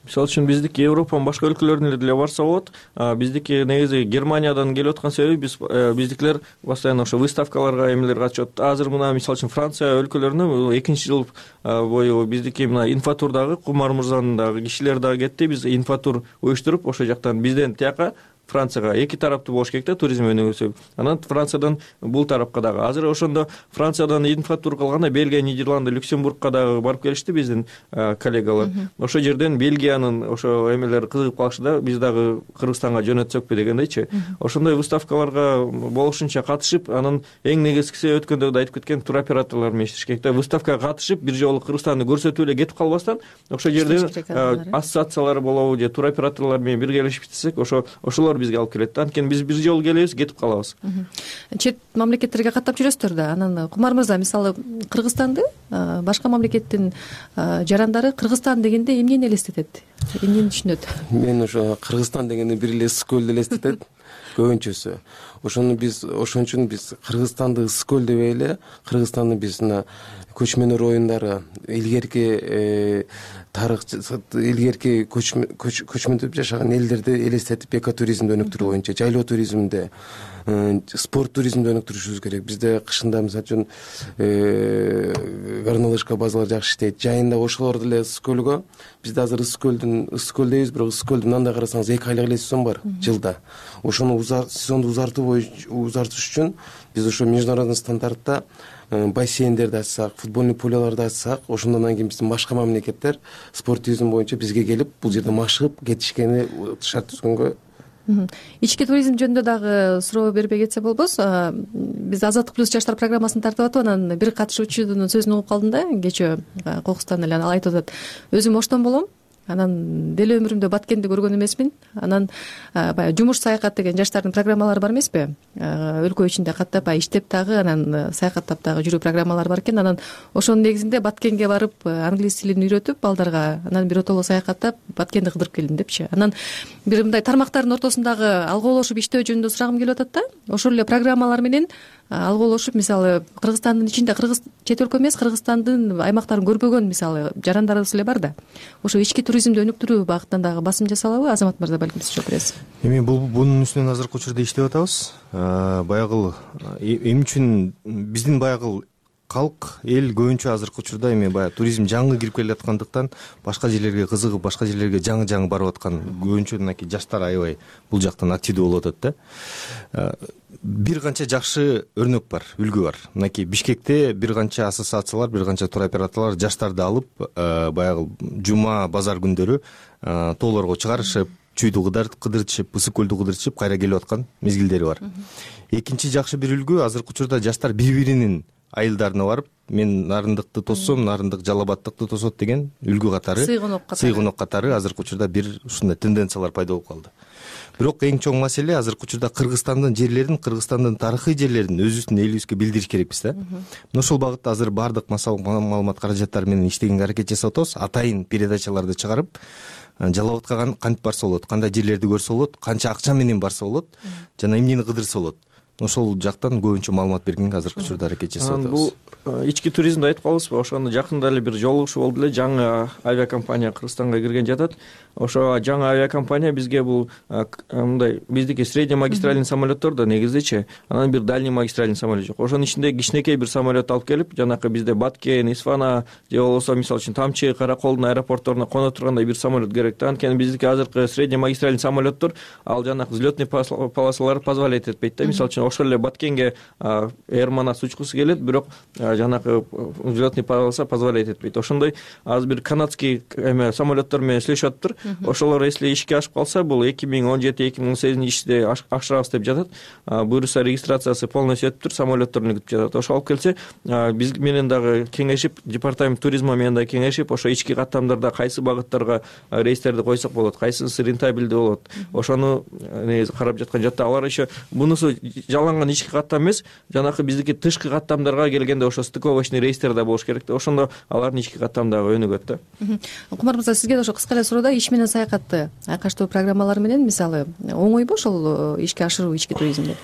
Мисалы үчүн биздики Европанын башка өлкөлөрүнө деле барса болот. Биздики негизи Германиядан келип аткан себеби биз биздикилер постоянно ошо выставкаларга, эмелерге катышат. Азыр мына мисалы үчүн Франция өлкөлөрүнө экинчи жыл бою биздики мына инфотурдагы Кумар мырзанын дагы кишилери дагы кетти. Биз инфотур уюштуруп ошол жактан бизден тияка Францияга эки тараптуу болуш керек да, туризм өнүгүүсү. Анан Франциядан бул тарапка дагы. Азыр ошондо Франциядан инфотур кылганда Бельгия, Нидерланды, Люксембургка дагы барып келишти биздин коллегалар. Ошол жерден Бельгиянын ошо эмелери кызыгып калышты да, биз дагы Кыргызстанга жөнөтсөкпү дегендейчи. Ошондой выставкаларга болушунча катышып, анан эң негизгиси өткөндө да айтып кеткен туроператорлор менен иштеш керек да. Выставкага катышып, бир жолу Кыргызстанды көрсөтүп эле кетип калбастан, ошол жерде ассоциациялар болобу же туроператорлор менен биргелешип иштесек, ошо ошолор бизге алып келет да. Анткени биз бир жолу келебиз, кетип калабыз. Чет мамлекеттерге каттап жүрөсүздөр да. Анан Кумар мырза, мисалы Кыргызстанды башка мамлекеттин жарандары Кыргызстан дегенде эмнени элестетет? Эмнени түшүнөт? Мен ошо Кыргызстан дегенде бир эле ысык көлдү элестетет көбүнчөсү. Ошону биз ошон үчүн биз Кыргызстанды ысык көл дебей эле, Кыргызстанды биз мына көчмөнөр оюндары, илгерки тарых, илгерки көчмөндөп жашаган элдерди элестетип, экотуризмди өнүктүрүү боюнча, жайлоо туризмди, спорт туризмди өнүктүрүшүбүз керек. Бизде кышында мисалы үчүн горнолыжка базалар жакшы иштейт. Жайында ошолор деле ысык көлгө, бизде азыр ысык көлдүн ысык көл дейбиз, бирок ысык көлдүн мындай карасаңыз эки айлык эле сезон бар жылда. Ошону сезонду узартуу узартыш үчүн биз ошо международный стандартта бассейндерди ачсак, футбольный поляларды ачсак, ошондон кийин биздин башка мамлекеттер спорт туризм боюнча бизге келип, бул жерде машыгып кетишкени шарт түзгөнгө. Ички туризм жөнүндө дагы суроо бербей кетсе болбос. Биз Азаттык плюс жаштар программасын тартып атып, анан бир катышуучунун сөзүн угуп калдым да, кечээ Кокустан эле. Ал айтып атат: өзүм оштон болом, анан деле өмүрүмдө Баткенди көргөн эмесмин. Анан баягы жумуш саякат деген жаштардын программалары бар эмеспи? Өлкө ичинде каттап иштеп дагы, анан саякаттап дагы жүрүү программалары бар экен. Анан ошонун негизинде Баткенге барып англис тилин үйрөтүп балдарга, анан бир отоло саякаттап Баткенди кыдырып келдим депчи. Анан бир мындай тармактардын ортосундагы алгоолошуп иштөө жөнүндө сурагым келип атат да. Ошол эле программалар менен алгоолошуп, мисалы Кыргызстандын ичинде, Кыргыз чет өлкө эмес, Кыргызстандын аймактарын көрбөгөн мисалы жарандарыбыз эле бар да. Ошо ички туризмди өнүктүрүү багытынан дагы басым жасалабы? Азамат мырза, балким сиз жооп бересиз. Эми бул бунун үстүнөн азыркы учурда иштеп атабыз. Баягы эмне үчүн биздин баягы калк, эл көбүнчө азыркы учурда эми баягы туризм жаңы кирип келе аткандыктан башка жерлерге кызыгып, башка жерлерге жаңы-жаңы барып аткан көбүнчө мынакей жаштар аябай бул жактан активдүү болуп атат да. Бир канча жакшы өрнөк бар, үлгү бар. Мынакей Бишкекте бир канча ассоциациялар, бир канча туроператорлор жаштарды алып, баягы жума, базар күндөрү тоолорго чыгарышып, чүйдү кыдыртышып, ысык көлдү кыдыртышып, кайра келип аткан мезгилдери бар. Экинчи жакшы бир үлгү, азыркы учурда жаштар бири-биринин айылдарына барып, мен Нарындыкты тоссом, Нарындык Жалал Абадтыкты тосот деген үлгү катары, сыйгонок катары азыркы учурда бир ушундай тенденциялар пайда болуп калды. Бирок эң чоң маселе азыркы учурда Кыргызстандын жерлерин, Кыргызстандын тарыхый жерлерин өзүбүздүн элибизге билдириш керекпиз да. Ошол багытта азыр баардык маалымат каражаттары менен иштегенге аракет жасап атабыз. Атайын передачаларды чыгарып, Жалал Абадка кантип барса болот, кандай жерлерди көрсө болот, канча акча менен барса болот, жана эмнени кыдырса болот. ошол жактан көбүнчө маалымат бергенге азыркы учурда аракет жасап атабыз. Бул ички туризмди айтып калабызбы? Ошондо жакында эле бир жолугушуу болду эле. Жаңы авиакомпания Кыргызстанга кирген жатат. Ошо жаңы авиакомпания бизге бул мындай биздики средний магистральный самолеттор да негизичи, анан бир дальний магистральный самолет жок. Ошонун ичинде кичинекей бир самолет алып келип, жанакы бизде Баткен, Исфана же болбосо мисалы үчүн Тамчы, Караколдун аэропортторуна коно тургандай бир самолет керек да. Анткени биздики азыркы средний магистральный самолеттор ал жанакы взлетный полосалары позволять этпейт да. Мисалы үчүн ошол эле Баткенге Эрманас учкусу келет, бирок жанакы взлетный полоса позволять этпейт. Ошондой азыр бир канадский эме самолеттор менен сүйлөшүп атыптыр. Ошолор если ишке ашып калса, бул эки миң он жети эки миң он сегизинчи иште ашырабыз деп жатат. Буюрса регистрациясы полностью өтүптүр, самолетторун күтүп жатат. Ошо алып келсе, биз менен дагы кеңешип, департамент туризма менен дагы кеңешип, ошо ички каттамдарда кайсы багыттарга рейстерди койсок болот, кайсысы рентабелдүү болот, ошону негизи карап жаткан жатты. Алар еще бунусу жаланган ички каттам эмес, жанакы биздики тышкы каттамдарга келгенде ошо стыковочный рейстер да болуш керек да. Ошондо алардын ички каттамдагы өнүгөт да. Кумар мырза, сизге да ошо кыска эле суроодо иш менен саякатты айкаштоо программалары менен мисалы оңойбу ошол ишке ашыруу ички туризмди?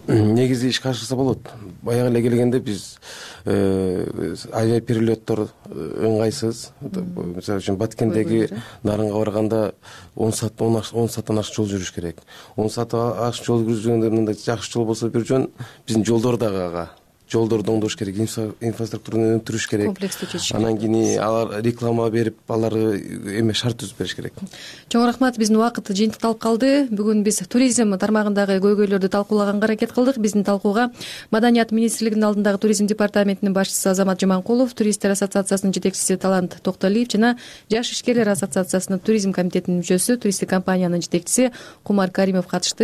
Негизи ишке ашырса болот. Баягы эле келгенде биз авиаперелеттор ыңгайсыз. Мисалы үчүн Баткендеги Нарынга барганда он саат он сааттан ашык жол жүрүш керек. он саат ашык жол жүргөндө мындай жакшы жол болсо бир жөн, биздин жолдор дагы ага жолдорду оңдош керек, инфраструктураны өнүктүрүш керек. Комплекстүү чечиш. Анан кийин алар реклама берип, аларды эме шарт түзүп бериш керек. Чоң рахмат, биздин убакыт жыйынтыкталып калды. Бүгүн биз туризм тармагындагы көйгөйлөрдү талкуулаганга аракет кылдык. Биздин талкууга Маданият министрлигинин алдындагы туризм департаментинин башчысы Азамат Жаманкулов, туристтер ассоциациясынын жетекчиси Талант Токтолиев жана Жаш ишкерлер ассоциациясынын туризм комитетинин мүчөсү, туристтик компаниянын жетекчиси Кумар Каримов катышты.